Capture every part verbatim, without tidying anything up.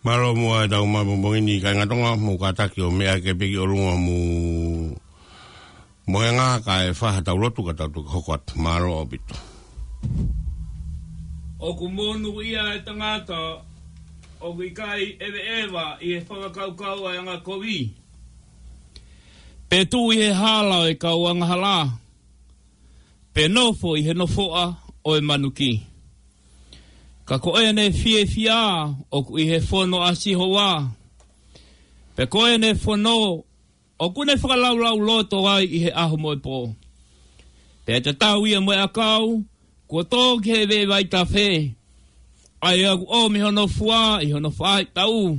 Mālō muʻa e tau mai pongipongi ni kāinga Tonga, mou kātaki ʻo meʻa ke piki ʻolunga mou mohenga kae fai ha tau lotu ka tau toki hoko atu. Mālō ʻaupito. ʻOku monūʻia e tangata ʻoku ʻikai ʻeveʻeva ʻi he fakakaukau ʻa e angakovi, pe tuʻu ʻi he hala ʻo e kau angahala, pe nofo ʻi he nofoʻa ʻo e manuki. Ka ko ʻene fiefia ʻoku ʻi he fono ʻa Sihova, pe ko ʻene fono ʻoku ne fakalaulauloto ai ʻi he ʻaho mo e pō. Pea tatau ia mo e ʻakau kuo tō ki he veʻe vaitafe, ʻa ia ʻoku ʻomi hono fua ʻi hono faʻahitaʻu,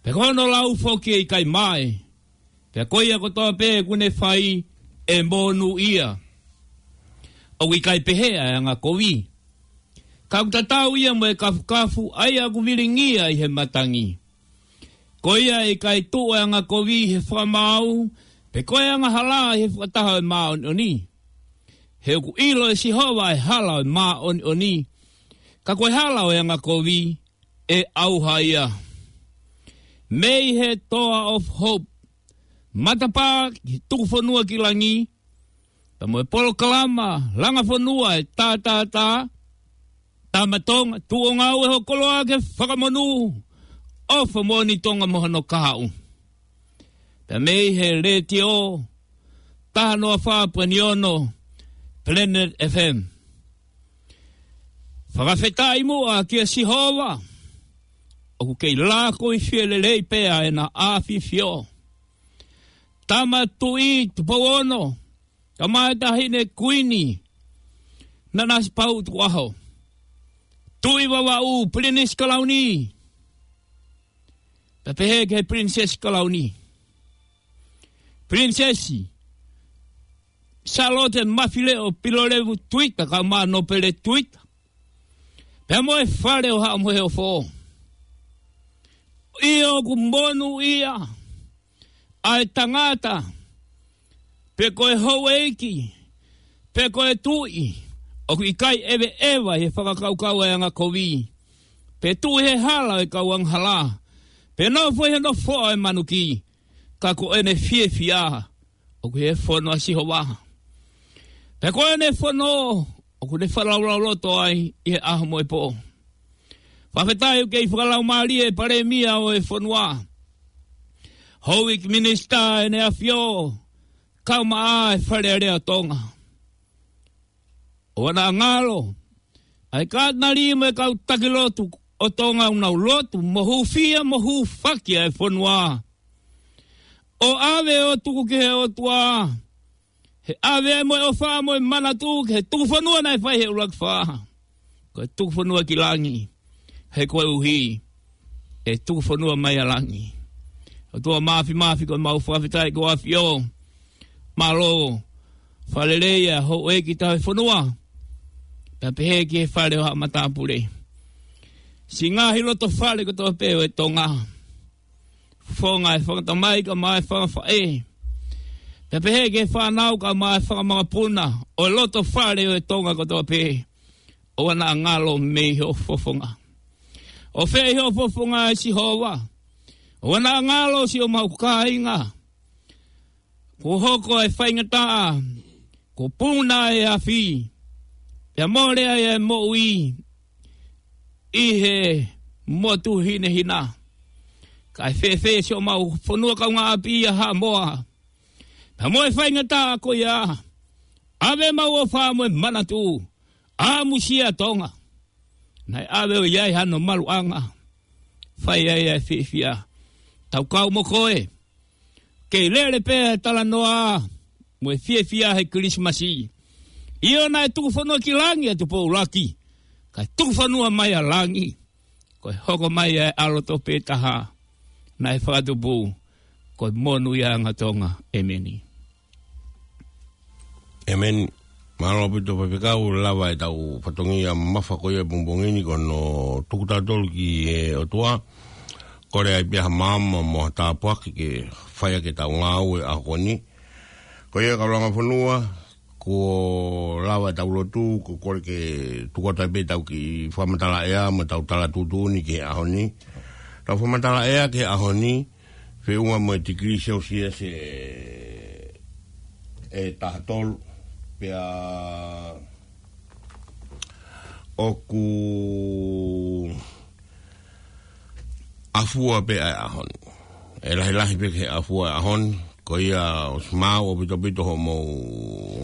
pe ko hono lau foki ʻe ʻikai mae. Pea ko ia kotoa pē ʻoku ne fai ʻe monūʻia. ʻOku ʻikai pehē ʻa e angakovi, ka ʻoku tatau ia mo e kafukafu ʻa ia ʻoku vilingia ʻi he matangi. Ko ia ʻe ʻikai tuʻu e angakovi ʻi he fakamaau, pe ko e angahala ʻi he fakataha ʻo e māʻoniʻoni. He ʻoku ʻilo ʻe Sihova e hala ʻo e māʻoniʻoni, ka ko e hala ʻo e angakovi ʻe ʻauha ia. Mei he Toa of Hope, matapā ki Tukufonua ki Langi, pea mo e polokalama langa fonua e tātātā, Tama Tonga, tuʻu ʻo ngāue ho koloa ke fakamonū, ʻofa moʻoni Tonga mo hono kahaʻu. Pea mei he letiō, taha noa fā poini ono, Planet F M. Fakafetaʻi muʻa kia Sihova, ʻoku kei lākoifie lelei pē ʻa ʻena ʻafifio. Tama Tuʻi Tupou Ono, Tama e Taʻahine Kuini Nanasipauʻu Tukuʻaho, Tuʻi Vavaʻu Pilinisi Kalauni, pea pehē ki he Pilinisesi Kalauni, Pilinisesi Sālote Mafileʻo Pilolevu Tuita, kae ʻumaʻā Nōpele Tuita, pea mo e fale ʻo Haʻa Moheofo. ʻIo, ʻoku monūʻia ʻa e tangata, pe ko e houʻeiki, pe ko e tuʻi, ʻoku ʻikai ʻeveʻeva ʻi he fakakaukau ʻa e angakovi, pe tuʻu ʻi he hala ʻo e kau angahala, pe nofo ʻi he nofoʻa ʻo e manuki, ka ko ʻene fiefia ʻoku ʻi he fono ʻa Sihova, pe ko ʻene fono ʻoku ne fakalaulauloto ai ʻi he ʻaho mo e pō. Fakafetaʻi ʻoku kei fakalaumālie e Palēmia ʻo e fonua, Houʻeiki Minisitā ʻEne ʻAfio, kae ʻumaʻā e Fale Alea ʻo Tonga. ʻOua naʻa ngalo ʻa e Katinali mo e kau taki lotu ʻo Tonga ʻoku nau lotu mo hūfia mo hūfaki ʻa e fonua, ʻo ʻave ʻo tuku ki he ʻOtua, he ʻave ai mo e ʻofa mo e manatu ki he tukufonua naʻe fai he ʻuluaki fā, ko e tukufonua ki langi, he koeʻuhi ʻe tukufonua mai ʻa langi. ʻOtua Māfimafi, ko ʻemau fakafetaʻi ko e ʻAfio. Mālō, fakalelei ʻa e houʻeiki tauhi fonua, pea pehē ki he fale ʻo haʻa matāpule, siʻi ngaahi loto fale kotoa pē ʻo e Tonga, fofonga e fanga tamai kae ʻumaʻā e fanga faʻē, pea pehē ki he fānau kae ʻumaʻā e fanga makapuna ʻo e loto fale ʻo e Tonga kotoa pē. ʻOua naʻa ngalo mei hoʻo fofonga. ʻOfeʻi hoʻo fofonga ʻe Sihova. ʻOua naʻa ngalo siʻomau kāinga. Kuo hoko e faingataʻa, kuo puna e afi, pea mole ai e moʻui ʻi he motu hinehina. Kae fēfē siʻomau fonua kaungāʻapi ʻa Haʻamoa, pea mo e faingataʻa ko ia? ʻAve ʻemau ʻofa mo e manatu, ʻamusia Tonga. Naʻe ʻave ʻo ʻi ai hano maluʻanga, fai ai ʻa e fiefia. Tau kau mo koe. Kei lele pē e talanoa mo e fiefia he Kilisimasi. ʻIo, naʻe tukufonua ki langi ʻa Tupou ʻUluaki, kae tukufonua mai ʻa langi. Ko e hoko mai ʻa e ʻAlo Tope Taha naʻe fakatupu, ko e monūʻiaʻanga Tonga. ʻEmeni. ʻEmeni. Mālō ʻaupito Faifekau, lava e tau fatongia mamafa ko ia pongipongi ni, ko hono tuku tautolu ki he ʻOtua, kole ai pē ha maama mo ha tāpuaki ke fai ʻaki e tau ngāue ʻaho ni. Ko ia kau langa fonua, kuo lava e tau lotu, ko e kole ke tuku atu ai pē tau kiʻi fakamatala ʻea mo e tau tala tuʻutuʻuni ki he ʻaho ni. Tau fakamatala ʻea ki he ʻaho ni, feʻunga mo e tikilī Celsius ʻe, ʻe taha tolu, pea ʻoku ʻafua pē ʻa e ʻaho ni. ʻE lahilahi pē ki he ʻafua ʻa e ʻaho ni, ko ia ʻosi maau ʻaupito ʻaupito hoʻomou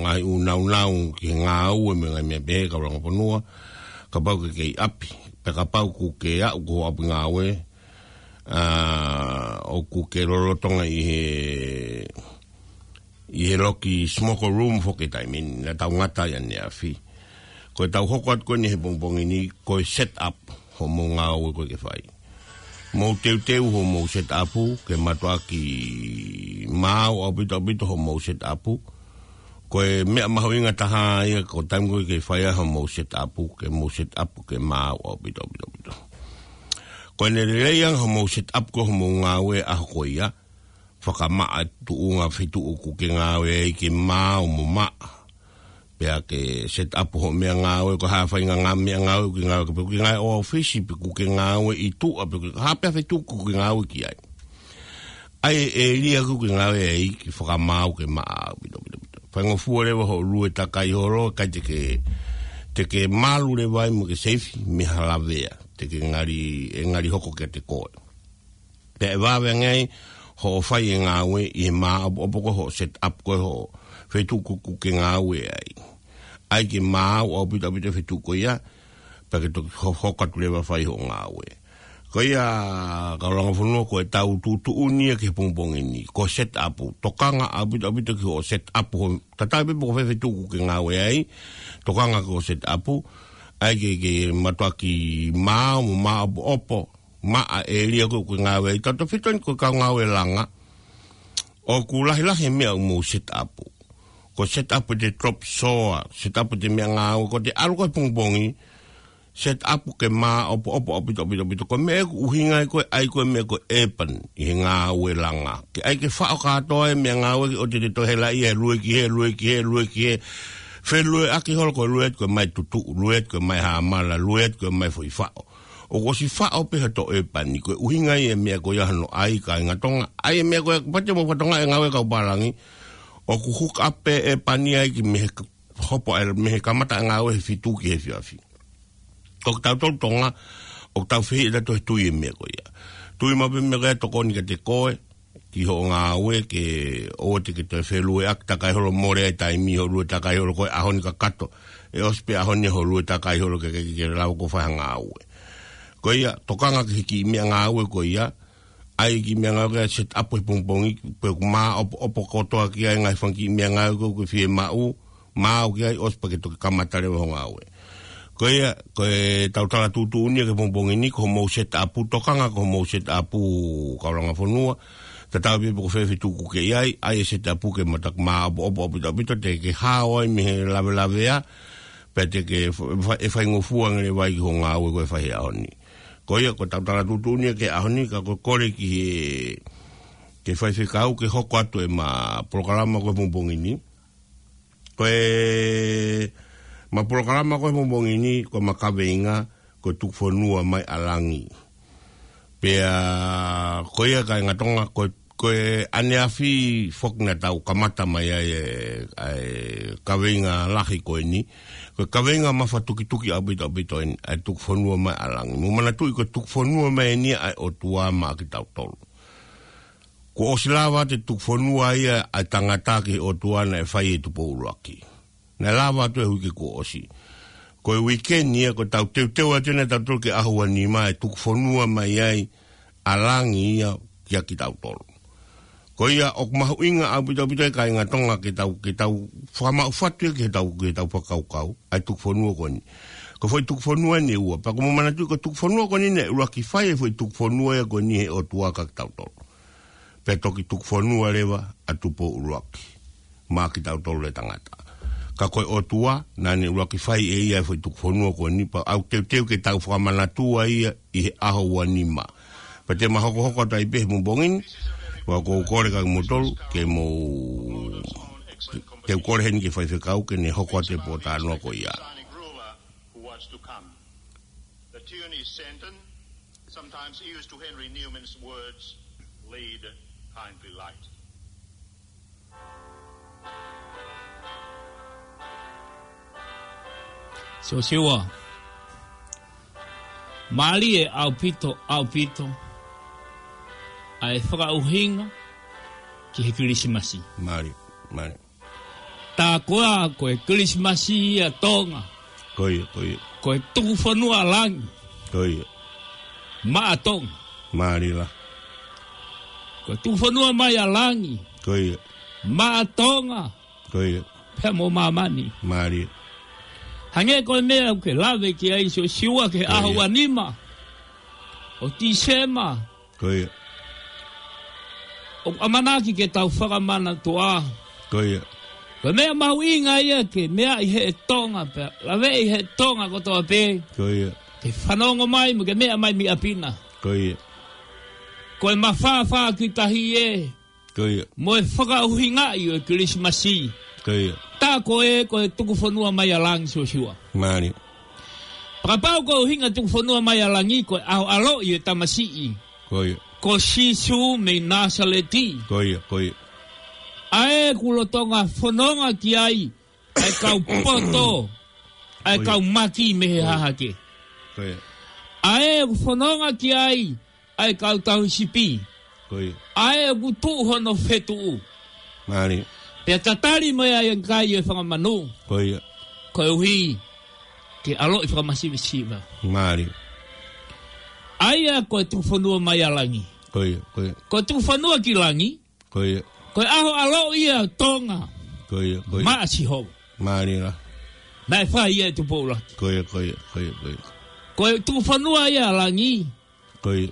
ngaahi ʻū naunau ki he ngāue mo e ngaahi meʻa pehē, kau langa fonua, kapau ke kei ʻapi, pe kapau ʻoku ke aʻu ki ho ʻapi ngāue, ʻa, ʻoku ke lolotonga ʻi he, ʻi he loki smoke room foki he taimi ni, naʻa tau ngata ai ʻaneafi. Ko e tau hoko atu ko eni he pongipongi ni, ko e set up hoʻomou ngāue ko ē ke fai. Mou teuteu hoʻomou set up, ke mātuʻaki maau ʻaupito ʻaupito hoʻomou set up. Ko e meʻa mahuʻinga taha ia, ko e taimi ko ē ke fai ai hoʻomou set up, ke mou set up ke maau ʻaupito ʻaupito ʻaupito. Ko ʻene lelei ange hoʻomou set up ko hoʻomou ngāue ʻaho ko ia, fakamaʻa tuʻunga feituʻu ʻoku ke ngāue ai ke maau mo maʻa. Pea ke set up hoʻo meʻa ngāue, ko e hā e faʻahinga ngā meʻa ngāue ʻoku ke ngāue, pe ʻoku ke ngāue ʻo e ʻōfisi, pe ʻoku ke ngāue ʻi tuʻa, pe ʻoku ke hā pē ha feituʻu ʻoku ke ngāue ki ai. ʻAi e ʻēlia ʻoku ke ngāue ai ke fakamaau ke maʻa ʻaupito ʻaupito ʻaupito. Faingofua leva hoʻo lue takai holo, ʻikai te ke, te ke malu leva ai mo ke seifi mei ha lavea, te ke ngali, ʻe ngali hoko kiate koe. Pea ʻe vave ange ai hoʻo fai e ngāue ʻi he māʻopoʻopo ko ē hoʻo set up ko ē hoʻo feituʻu ʻoku ke ngāue ai. ʻAi ke maau ʻaupito ʻaupito e feituʻu ko ia, pea ke toki ho-, hoko atu leva fai hoʻo ngāue. Ko ia, kau langa fonua, ko e tau tuʻutuʻuni ia ki he pongipongi ni, ko e set up, tokanga ʻaupito ʻaupito ki hoʻo set up hoʻo, tatau ai pē pe ko fē feituʻu ʻoku ke ngāue ai, tokanga ki hoʻo set up, ʻai ke, ke mātuʻaki maau mo māʻopoʻopo, maʻa e ʻēlia ko ē ʻoku ke ngāue ai, tautefito eni ko e kau ngāue langa, ʻoku lahilahi e meʻa ʻoku mou set up. Ko e set up ʻete drop saw, set up ʻete meʻa ngāue, ko ʻete ʻalu ko ē he pongipongi, set up ke māʻopoʻopo ʻaupito ʻaupito ʻaupito. Ko e meʻa ʻoku ʻuhinga ai ko ē, ʻai ko ē meʻa ko e urban ʻi he ngāue langa. Ke ʻai ke faʻo kātoa e meʻa ngāue ke ʻoua te te toe helaʻia he lue ki hē, lue ki hē, lue ki hē. Felueʻaki holo, ko e lue atu ko e mai tutuʻu, lue atu ko e mai hāmala, lue atu ko e mai foʻi faʻo. ʻOku ʻosi faʻo pē hoto urban ni, ko e ʻuhinga ia e meʻa ko ia hono ʻai, kāinga Tonga. ʻAi e meʻa ko ia, pea te mou fakatokangaʻi e ngāue kau pālangi, ʻoku hook up pē e urban ai ki mei he ka-, hopo ai, mei he kamata e ngāue he fitu ki he efiafi. Ko kitautolu Tonga, ʻoku tau fehiʻa tautolu he tui e meʻa ko ia. Tui maʻu pē meʻa ko ia tokoni kiate koe, ki hoʻo ngāue, ke ʻoua te ke toe felueʻaki, takai holo, mole ai taimi hoʻo lue takai holo ko ē ʻaho ni kakato. ʻE ʻosi pē ʻaho ni hoʻo lue takai holo ke, ke, ke lava koe ʻo fai ha ngāue. Ko ia, tokanga ki he kiʻi meʻa ngāue ko ia, ʻai kiʻi meʻa ngāue ke set up he pongipongi, pe ʻoku māʻopoʻopo kotoa ki ai e ngaahi fanga kiʻi meʻa ngāue ko ē ʻoku ke fiemaʻu, maau ki ai, ʻosi pea ke toki kamata leva hoʻo ngāue. Ko ia, ko e tau tala tuʻutuʻuni ia ki he pongipongi ni, ko hoʻomou set up, tokanga ki hoʻomou set up, kau langa fonua, tatau ai pē pe ko fē feituʻu ʻoku ke ʻi ai, ʻai e set up ke mātuʻaki māʻopoʻopo ʻaupito ʻaupito, te ke hao ai mei he lavelavea, pea te ke fa-, fa-, ʻe faingofua ange leva ai ki hoʻo ngāue ko ē ʻe fai he ʻaho ni. Ko ia, ko e tau tala tuʻutuʻuni ia ki he ʻaho ni, ka ko e kole ki he, ki he faifekau ke hoko atu ʻema polokalama ko ē he pongipongi ni. Ko ʻema polokalama ko ē he pongipongi ni, ko ʻema kaveinga, ko e Tuku Fonua Mai ʻa Langi. Pea, ko ia kāinga Tonga, ko, ko e ʻaneafi foki naʻa tau kamata mai ai e, ʻa e kaveinga lahi ko eni. Ko e kaveinga mafatukituki ʻaupito ʻaupito eni, ʻa e Tuku Fonua Mai ʻa Langi. Mou manatuʻi ko e tuku fonua mai eni ʻa e ʻOtua maʻa kitautolu. Kuo ʻosi lava atu e tuku fonua ia ʻa e tangata ki he ʻOtua naʻe fai ʻe Tupou ʻUluaki. Naʻe lava atu he uike kuo ʻosi. Ko e uike ni ia, ko e tau teuteu atu eni ʻa tautolu ki he ʻaho ua nima ʻe tuku fonua mai ai ʻa Langi ia kia kitautolu. Ko ia ʻoku mahuʻinga ʻaupito ʻaupito e kāinga Tonga ke tau, ke tau fakamaʻu fatu ia ki he tau, ki he tau fakakaukau, ʻa e tuku fonua ko eni. Ko e foʻi tuku fonua eni ʻe ua, pea ko mou manatuʻi ko e tuku fonua ko eni naʻe ʻuluaki fai e foʻi tuku fonua ia ko eni he ʻOtua kia kitautolu. Pea toki tuku fonua leva ʻa Tupou ʻUluaki maʻa kitautolu e tangata. Ka ko e ʻOtua, naʻa ne ʻuluaki fai ʻe ia e foʻi tuku fonua ko eni, pea ʻoku teuteu ke tau fakamanatua ia ʻi he ʻaho ua nima. Pea te ma hokohoko atu ai pē he pongipongi ni, pea ʻoku ou kole kia kimoutolu, ke mou, te u kole heni ki he faifekau, ke ne hoko atu e pōtalanoa ko ia. Sometimes ears to Henry Newman's words lead kindly light. Siosiua, mālie ʻaupito, ʻaupito ʻa e fakaʻuhinga ki he Kilisimasi. Mālie, mālie. Tā koā ko e Kilisimasi ʻa Tonga. Ko ia, ko ia. Ko e tuku fonua ʻa langi. Ko ia. Maʻa Tonga. Mālie lā. Ko e tuku fonua mai ʻa langi. Ko ia. Maʻa Tonga. Ko ia. Pea mo māmani. Mālie. Hangē ko e meʻa ʻoku ke lave ki ai Siosiua ki he ʻaho ua nima ʻo Tīsema. Ko ia. ʻOku ʻamanaki ke tau fakamanatu ā. Ko ia. Ko e meʻa mahuʻinga ia ke meaʻi ʻe he Tonga pea laveʻi ʻe he Tonga kotoa pē. Ko ia. Ke fanongo mai mo ke meʻa mai mei ʻapi na. Ko ia. Ko e mafāfā ki tahi ē. Ko ia. Mo e fakaʻuhingaʻi ʻo e Kilisimasi. Ko ia. Tā ko ē ko e tuku fonua mai ʻa langi Siosiua. Mālie. Kapau ko e ʻuhinga tuku fonua mai ʻa langi ko e ʻaho ʻaloʻi e tamasiʻi. Ko ia. Ko Sīsū mei Nāsaleti. Ko ia, ko ia. ʻA ē ʻoku lolotonga fononga ki ai ʻa e kau poto, ʻa e kau maki mei he hahake. Ko ia. ʻA ē ʻoku fononga ki ai ʻa e kau tauhi sipi. Ko ia. ʻA ē ʻoku tuʻu hono fetuʻu. Mālie. Pea tatali mai ai ʻa e kai ʻo e fanga manu. Ko ia. Koeʻuhi ke ʻaloʻi fakamasivesiva. Mālie. ʻA ia ko e tuku fonua mai ʻa langi. Ko ia, ko ia. Ko e tuku fonua ki langi. Ko ia. Ko e ʻaho ʻaloʻi ʻa Tonga. Ko ia, ko ia. Maʻa Sihova. Mālie lā. Naʻe fai ia ʻe Tupou ʻUluaki. Ko ia, ko ia, ko ia, ko ia. Ko e tuku fonua ia ʻa langi. Ko ia.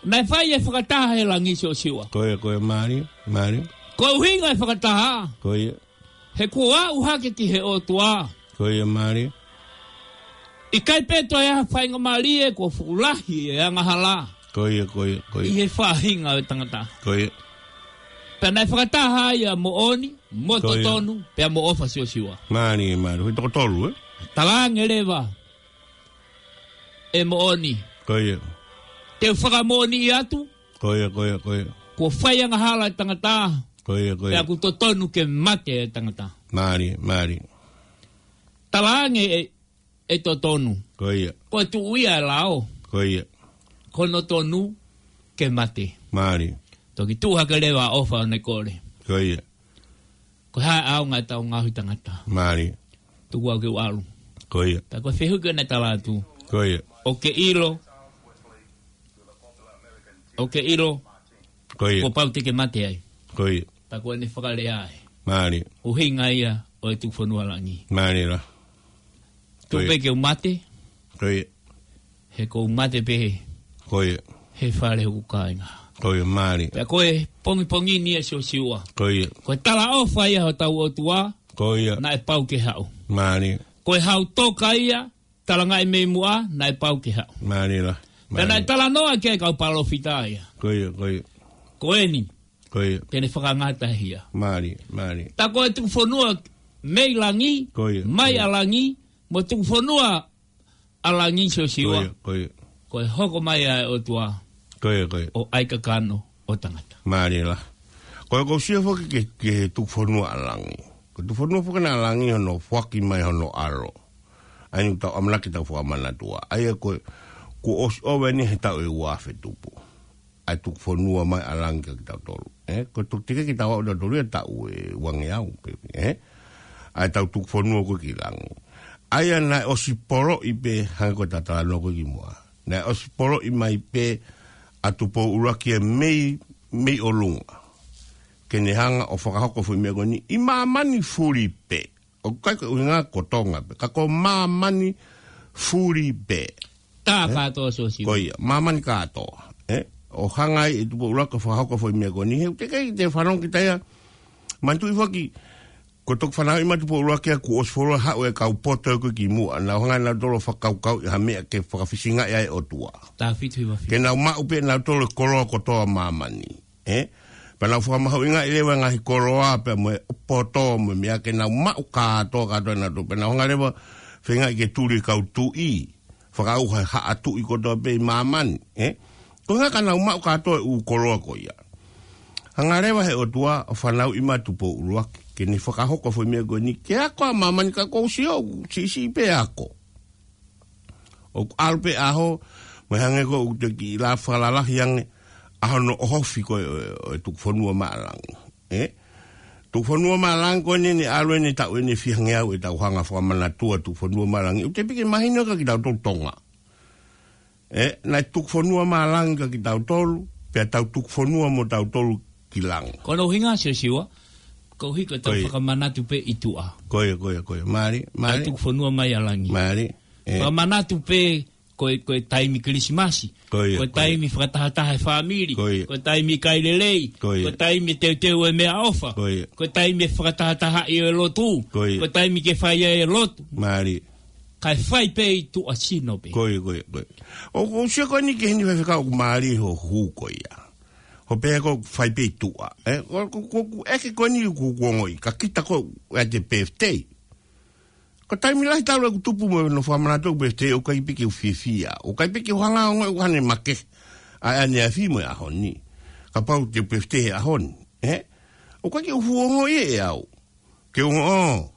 Naʻe fai e fakataha he langi Siosiua. Ko ia, ko ia, mālie, mālie. Ko e ʻuhinga e fakataha. Ko ia. He kuo aʻu hake ki he ʻOtua. Ko ia, mālie. ʻIkai pē toe ʻi ai ha faingamālie kuo fuʻu lahi e angahala. Ko ia, ko ia, ko ia. ʻI he faʻahinga ʻo e tangata. Ko ia. Pea naʻe fakataha ai ʻa moʻoni, mo totonu, pea mo ʻofa Siosiua. Mālie, mālie. Ko e toko tolu, ē? Talaange leva ʻe moʻoni. Ko ia. Te u fakamoʻoniʻi atu. Ko ia, ko ia, ko ia. Kuo fai angahala e tangata. Ko ia, ko ia. Pea ʻoku totonu ke mate e tangata. Mālie, mālie. Talaange ʻe, ʻe totonu. Ko ia. Ko e tuʻu ia e lao. Ko ia. Ko hono tonu ke mate. Mālie. Toki tuʻu hake leva ʻofa ʻo ne kole. Ko ia. Ko e hā e ʻaonga ʻetau ngaohi tangata. Mālie. Tuku au ke u ʻalu. Ko ia. Pea ko e fehuʻi ko ē naʻe tala atu. Ko ia. ʻOku ke ʻilo. ʻOku ke ʻilo. Ko ia. Kuo pau te ke mate ai. Ko ia. Pea ko ʻene fakalea ē. Mālie. ʻUhinga ia ʻo e tuku fonua ʻa langi. Mālie lā. Tuku pē ke u mate. Ko ia. He ʻoku ou mate pē he. Ko ia. He fale hoku kāinga. Ko ia, mālie. Pea ko e pongipongi ni ē Siosiua. Ko ia. Ko e talaʻofa ia hotau ʻOtua. Ko ia. Naʻe pau ke haʻu. Mālie. Ko e hau toka ia, talangaʻi mei muʻa, naʻe pau ke haʻu. Mālie lā. Pea naʻe talanoa ki ai e kau palōfita ia. Ko ia, ko ia. Ko eni. Ko ia. Te ne fakangata hia. Mālie, mālie. Tā ko e tuku fonua mei langi, ko ia, mai ʻa langi, mo tuku fonua ʻa langi Siosiua. Ko ia, ko ia. Ko e hoko mai ʻa e ʻOtua. Ko ia, ko ia. ʻO ʻai kakano ʻo tangata. Mālie lā. Ko e kau sio foki ki he, ki he tuku fonua ʻa langi. Ko e tuku fonua foki ʻa langi hono foaki mai hono ʻAlo. ʻA ia ʻoku tau ʻamanaki tau fakamanatu ā. ʻA ia ko e, kuo ʻosi ʻova eni he taʻu ʻe ua afe tupu. ʻA e tuku fonua mai ʻa langi kia kitautolu. Ē, ko e tuku tike kitautolu ia taʻu ʻe uangeau, pē, ē? ʻA e tau tuku fonua ko ē ki langi. ʻA ia naʻe ʻosi poloʻi pē, hangē ko e talanoa ko ē kimuʻa. Naʻe ʻosi poloʻi mai pē ʻa Tupou ʻUluaki ia mei, mei ʻolunga. Ke ne hanga ʻo fakahoko e foʻi meʻa ko eni ʻi māmani fuli pē. ʻOku ʻikai ko e ʻuhinga ko Tonga pē, ka ko māmani fuli pē. Tā kātoa Siosiua. Ko ia, māmani kātoa. Ē? ʻO hanga ai ʻe Tupou ʻUluaki ʻo fakahoko e foʻi meʻa ko eni. He ʻoku teʻeki ai te fanongo kita ia. Manatuʻi foki, ko e toki fanauʻi mai ʻa Tupou ʻUluaki ia kuo ʻosi fuoloa haʻu e kau poto ko ē kimuʻa. Nau hanga ʻe nautolu ʻo fakakaukauʻi ha meʻa ke fakafisingaʻi ai e ʻOtua. Taha fitu hiva fitu. Ke nau maʻu pē ʻe nautolu e koloa kotoa ʻo māmani. Ē? Pea nau fakamahuʻingaʻi leva e ngaahi koloa, pea mo e poto, mo e meʻa ke nau maʻu kātoa, kātoa ʻe nautolu. Pea nau hanga leva ʻo feingaʻi ke tuli e kau tuʻi. Fakaʻauha e haʻa tuʻi kotoa pē ʻi māmani, ē? Ko e ʻuhinga ka nau maʻu kātoa e ʻū koloa ko ia. Hanga leva he ʻOtua ʻo fanauʻi mai Tupou ʻUluaki, ke ne fakahoko e foʻi meʻa ko eni, ke ako ʻa māmani ka ʻoku ou sio, siʻisiʻi pē ako. ʻOku ʻalu pē ʻaho, mo e hangē ko ʻeku toki lave fakalalahi ange, ʻaho hono ʻohofi ko ē ʻo e, ʻo e Tukufonua Maʻalangi. Ē? Tukufonua Maʻalangi ko eni ne ʻalu eni taʻu eni fiha ngeau ʻetau hanga fakamanatua Tukufonua Maʻalangi. ʻOku teʻeki ke mahino kia kitautolu Tonga. Ē, naʻe Tukufonua Maʻalangi kia kitautolu, pea tau tukufonua mo tautolu ki langi. Ko hono ʻuhinga Siosiua, koeʻuhi ko ʻetau Ko ia. fakamanatu pē ʻi tuʻa. Ko ia, ko ia, ko ia. Mālie, Naʻe mālie. tukufonua mai ʻa langi. Mālie. Ē. Fakamanatu pē ko e, ko e taimi Kilisimasi. Ko ia, Ko e ko ia. taimi fakatahataha e fāmili. Ko ia. Ko e taimi kai lelei. Ko ia. Ko e taimi teuteu e meʻaʻofa. Ko ia. Ko e taimi fakatahatahaʻi e lotu. Ko ia. Ko e taimi ke fai ai e lotu. Mālie. Kae fai pē ʻi tuʻa sino pē. Ko ia, ko ia, ko ia. ʻOku ou sio ko eni ki heni Faifekau ʻoku mālie hoʻo hū ko ia. Hoʻo pehē ko e fai pē ʻi tuʻa. Ē, ko, ko, ko, ko, ʻeke ko eni ʻoku, ʻoku ou ongoʻi. Ka kita ko e ʻete birthday. Ko e taimi lahi talu ʻeku tupu mo hono fakamanatu ʻeku birthday ʻoku ʻikai pē ke u fiefia. ʻOku ʻikai pē ke u hanga ʻo ongoʻi ʻoku ʻi ai haʻane makehe. ʻA ʻaneafi mo e ʻaho ni. Kapau te u birthday he ʻaho ni. Ē? ʻOku ʻikai ke u fuʻu ongoʻi ʻe au. Ke u ongoʻi, ʻō,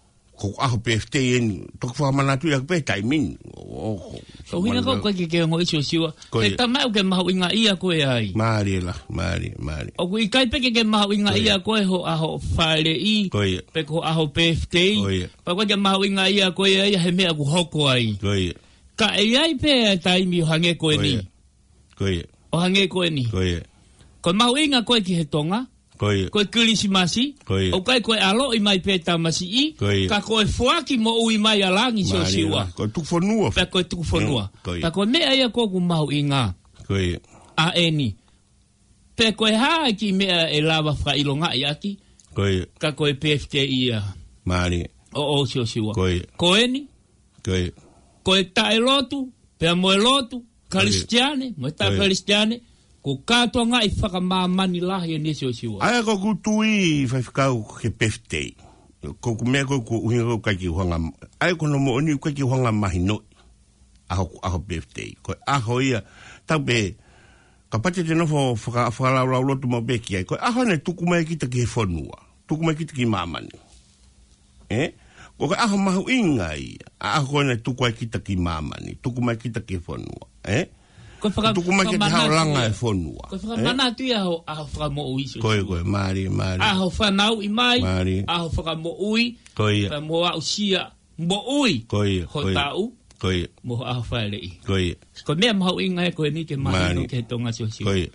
ko e ʻaho birthday eni. Toki fakamanatu ia pē taimi ni. ʻŌ, ʻō, ko, Ko e ʻuhinga ko e fakamanatu. ʻikai ke ke ongoʻi Siosiua. Ko Ko e ia. taimi ʻoku ke mahuʻingaʻia koe ai. Mālie la, mālie, mālie. ʻOku ʻikai pē ke ke mahuʻingaʻia Ko ia. koe hoʻo ʻaho fāʻeleʻi. Ko ia. Pe ko hoʻo ʻaho birthday. Ko ia. Pea ʻoku ʻikai ke mahuʻingaʻia koe ai he meʻa ʻoku hoko ai. Ko ia. Ka ʻe ʻi ai pē e taimi ʻo hangē ko Ko eni. ia. Ko ia. ʻO hangē ko eni. Ko ia. Ko e mahuʻinga ko ē ki he Tonga. Ko ia. Ko e Kilisimasi. Ko ia. ʻOku ʻikai ko e ʻaloʻi mai pē tamasiʻi. Ko ia. Ka ko e foaki moʻui mai ʻa langi Mālie Siosiua. la. Ko e tukufonua. Pea ko e tukufonua. Mm, ko ia. Pea ko e meʻa ia ʻoku mahuʻinga. Ko ia. ʻA eni. Pe ko e hā e kiʻi meʻa ʻe lava fakaʻilongaʻi ʻaki. Ko ia. Ka ko e birthday ia. Mālie. ʻO, ʻo Siosiua. Ko ia. Ko eni. Ko ia. Ko e taʻelotu, pea mo e lotu, Ko ia. Kalisitiane, mo e Ko ia. taʻe-Kalisitiane, ko e kātoangaʻi fakamāmani lahi eni Siosiua. ʻA ia ko ʻeku tui Faifekau ki he birthday. Ko ʻeku meʻa ko ē ʻoku ʻuhinga ko e ʻikai ke u hanga, ʻa ia ko hono moʻoni ʻoku ʻikai ke u hanga mahinoʻi. ʻAho, ʻaho birthday. Ko e ʻaho ia, tau pē, kapau te te nofo faka-, fakalaulauloto maʻu pē ki ai. Ko e ʻaho naʻe tuku mai kita ki he fonua. Tuku mai kita ki māmani. Ē? Ko e ʻaho mahuʻinga ia. ʻA e ʻaho ko ē naʻe tuku ai kita ki māmani. Tuku mai kita ki he fonua. Ē? Ko e faka-, Tuku mai kita fakamanatu haʻo langa ia. e fonua. Ko e Ē? fakamanatu ia ʻo e ʻaho fakamoʻui Siosiua. Ko ia, ko ia. Mālie, mālie. ʻAho fanauʻi mai. Mālie. ʻAho fakamoʻui. Ko ia. Pea mo aʻusia moʻui Ko ia, ho ko ia. taʻu, Ko ia. mo ho ʻaho fāʻeleʻi. Ko ia. Ko e meʻa mahuʻinga ē ko eni ke mahino Mālie. ki he Tonga Siosiua. Ko ia.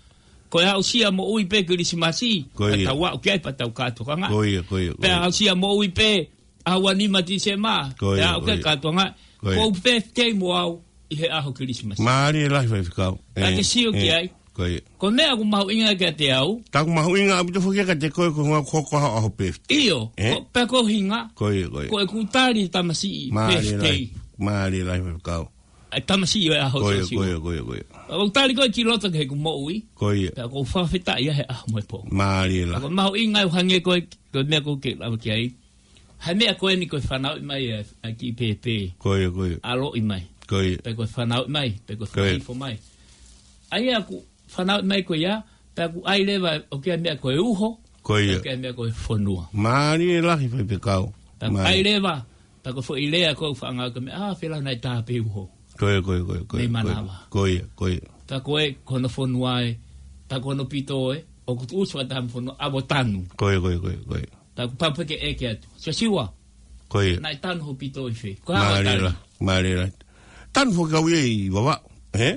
Ko e aʻusia moʻui pē Kilisimasi, Ko ia. ka tau aʻu ki ai pea tau kātoanga. Ko ia, ko ia, ko Pea ia. aʻusia moʻui pē ʻaho ua nima Tīsema, Ko ia, pea aʻu ko ki ai ia. kātoanga. Ko ia. Ko e birthday mo au ʻi he ʻaho Kilisimasi. Mālie lahi Faifekau. Ka Ē, ke sio ki ē. ai. Ko ia. Ko e meʻa ʻoku mahuʻinga kiate au. Taku mahuʻinga ʻaupito foki kiate koe ko e ʻuhinga ko e ʻaho, ʻaho birthday. ʻIo, Ē? ko, pea ko e ʻuhinga. Ko ia, ko ia. Ko ʻeku tali tamasiʻi Mālie birthday. lahi. Mālie lahi Faifekau. ʻA e tamasiʻi ʻo e ʻaho Ko ia, Siosiua. ko ia, ko ia, ko ia. ʻOku tali koe ki loto ki heʻeku moʻui. Ko ia. Pea ʻoku ou fakafetaʻi ia he ʻaho mo e pō. Mālie lahi. Ko e mahuʻinga ʻoku hangē ko e, ko e meʻa ʻoku ke lave ki ai. He meʻa ko eni ko e fanauʻi mai ʻa e, ʻa e kiʻi pēpē. Ko ia, ko ia. ʻAloʻi mai. Ko ia. Pe ko e fanauʻi mai, pe ko e Ko ia. fakaifo mai. ʻA ia ʻoku fanauʻi mai ko ia, pea ʻoku ʻai leva ʻoku ʻi ai e meʻa ko e uho, Ko ia. pea ʻoku ʻi ai e meʻa ko e fonua. Mālie lahi Faifekau. Pea ʻoku Mālie. ʻai leva, pea ko e foʻi lea ko e faʻanga ko e meʻa, ʻā, fēlā naʻe tā pē uho. Ko ia, ko ia, ko ia, ko ia, Mei ko ia. Manava. Ko ia, ko ia. Pea ko e, ko hono fonua ē, pea ko hono pito ē, ʻoku tuʻusi fakataha mo e fonua, ʻa ʻo tanu. Ko ia, ko ia, ko ia, ko ia. Pea ʻoku pau pē ke ʻeke atu. Siosiua. Ko ia. Naʻe tanu hoʻo pito ʻi fē? Ko e hā hoʻo Mālie tali? lahi, mālie lahi. Tanu foki au ia ʻi Vavaʻu, ē?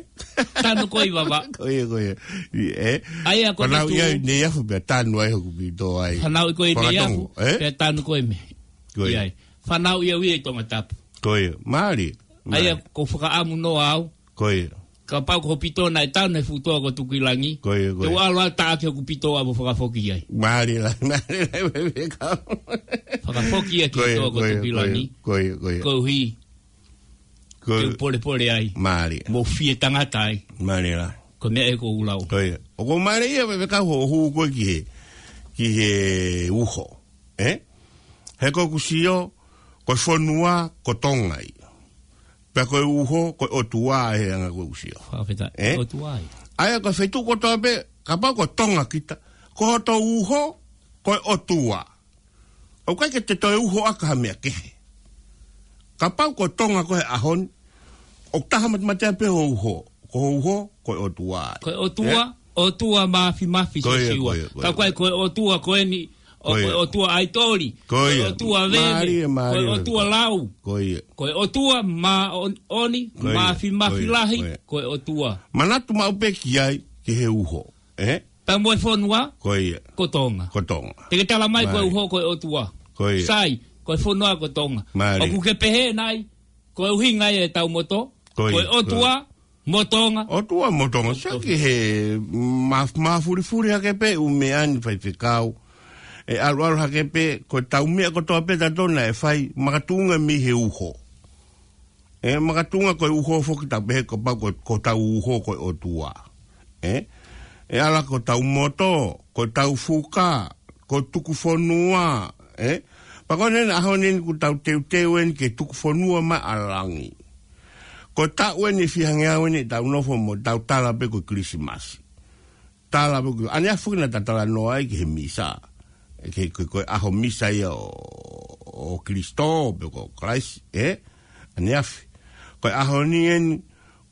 Tanu koe ʻi Vavaʻu. Ko ia, ko ia. ʻI, ē? ʻA ia ko e Fanauʻi meʻa ia ʻi Neiafu pea tanu ai hoku pito ai. Fanauʻi koe ʻi Neiafu, Fakatonga, ē? pea tanu koe mei. Ko ia. ʻI ai. Fanauʻi au ia ʻi Tongatapu. Ko ia. Mālie. ʻA ia Mālie. ʻoku ou fakaʻamu noa au. Ko ia. Kapau ko hoʻo pito naʻe tanu he fuʻu toa ko Tukuʻilangi. Ko ia, ko ia. Te u ʻalu ʻo taʻaki hoku pito ʻo fakafoki ai. Mālie lahi, mālie lahi, Faifekau. Fakafoki ia ki Ko ia, toa ko ko ia, Tukuʻilangi. ko ia, ko ia. Koeʻuhi. Ko ia. Ke u polepole ai. Mālie. Mo fie tangata ai. Mālie lahi. Ko e meʻa ē ʻoku ou lau. Ko ia. ʻOku mālie ia Faifekau hoʻo hū ko ē ki he, ki he uho. Ē? He ko ʻeku sio, ko e fonua, ko Tonga ia. Pea ko e uho, ko e ʻOtua ʻi he anga ko ē ʻoku sio. Fakafetaʻi. Ē? ʻOtua ai. ʻA ia ko e feituʻu kotoa pē, kapau ko Tonga kita, ko hoto uho, ko e ʻOtua. ʻOku ʻikai ke te toe uho ʻaki ha meʻa kehe. Kapau ko Tonga ko ē he ʻaho ni, ʻoku taha matematea pē ho uho. Ko ho uho, ko e ʻOtua ai. Ko e ʻOtua, ʻOtua Mafimafi, Siosiua. Ko ia, ko e, ko e ʻOtua ko eni, ʻo ko e ʻOtua ʻAitoli. Ko e ʻOtua Veve. Mālie, mālie. Ko e ʻOtua Lau. Ko ia. Ko e ʻOtua Māʻoniʻoni, Mafimafi Lahi, ko e ʻOtua. Manatu maʻu pē ki ai, ki he uho. Ē? Pea mo e fonua, ko ia, ko Tonga. Ko Tonga. Te ke tala mai ko e uho, ko e ʻOtua. Ko ia. Sai, ko e fonua, ko Tonga. Mālie. ʻOku ke pehē nai, ko e ʻuhinga ia ʻetau moto, ko ia, ko e ʻOtua mo Tonga. ʻOtua mo Tonga. Sai ki he maf-, mafulifuli hake pē ʻū meʻa ni, faifekau. ʻE ʻaluʻalu hake pē, ko ʻetau meʻa kotoa pē ʻa tautolu naʻe fai, makatuʻunga mei he uho. Ē, makatuʻunga ko e uho foki, tau pehē kapau ko, ko hotau uho ko e ʻOtua. Ē? ʻE ala ko hotau moto, ko hotau fuka, ko e tukufonua, ē? Pea ko eni ʻaho ni eni ʻoku tau teuteu eni ke tukufonua mai ʻa langi. Ko e taʻu eni ʻe fiha ngeau eni ʻetau nofo mo tau tala pē ko e Kilisimasi. Tala pē ko ʻaneafi naʻa ta talanoa ai ki he misa. Ē, ke, ko, ko e ʻaho misa ia ʻo, ʻo Kalaisi, pe ko Kalaisi, ē? ʻAneafi. Ko e ʻaho ni eni,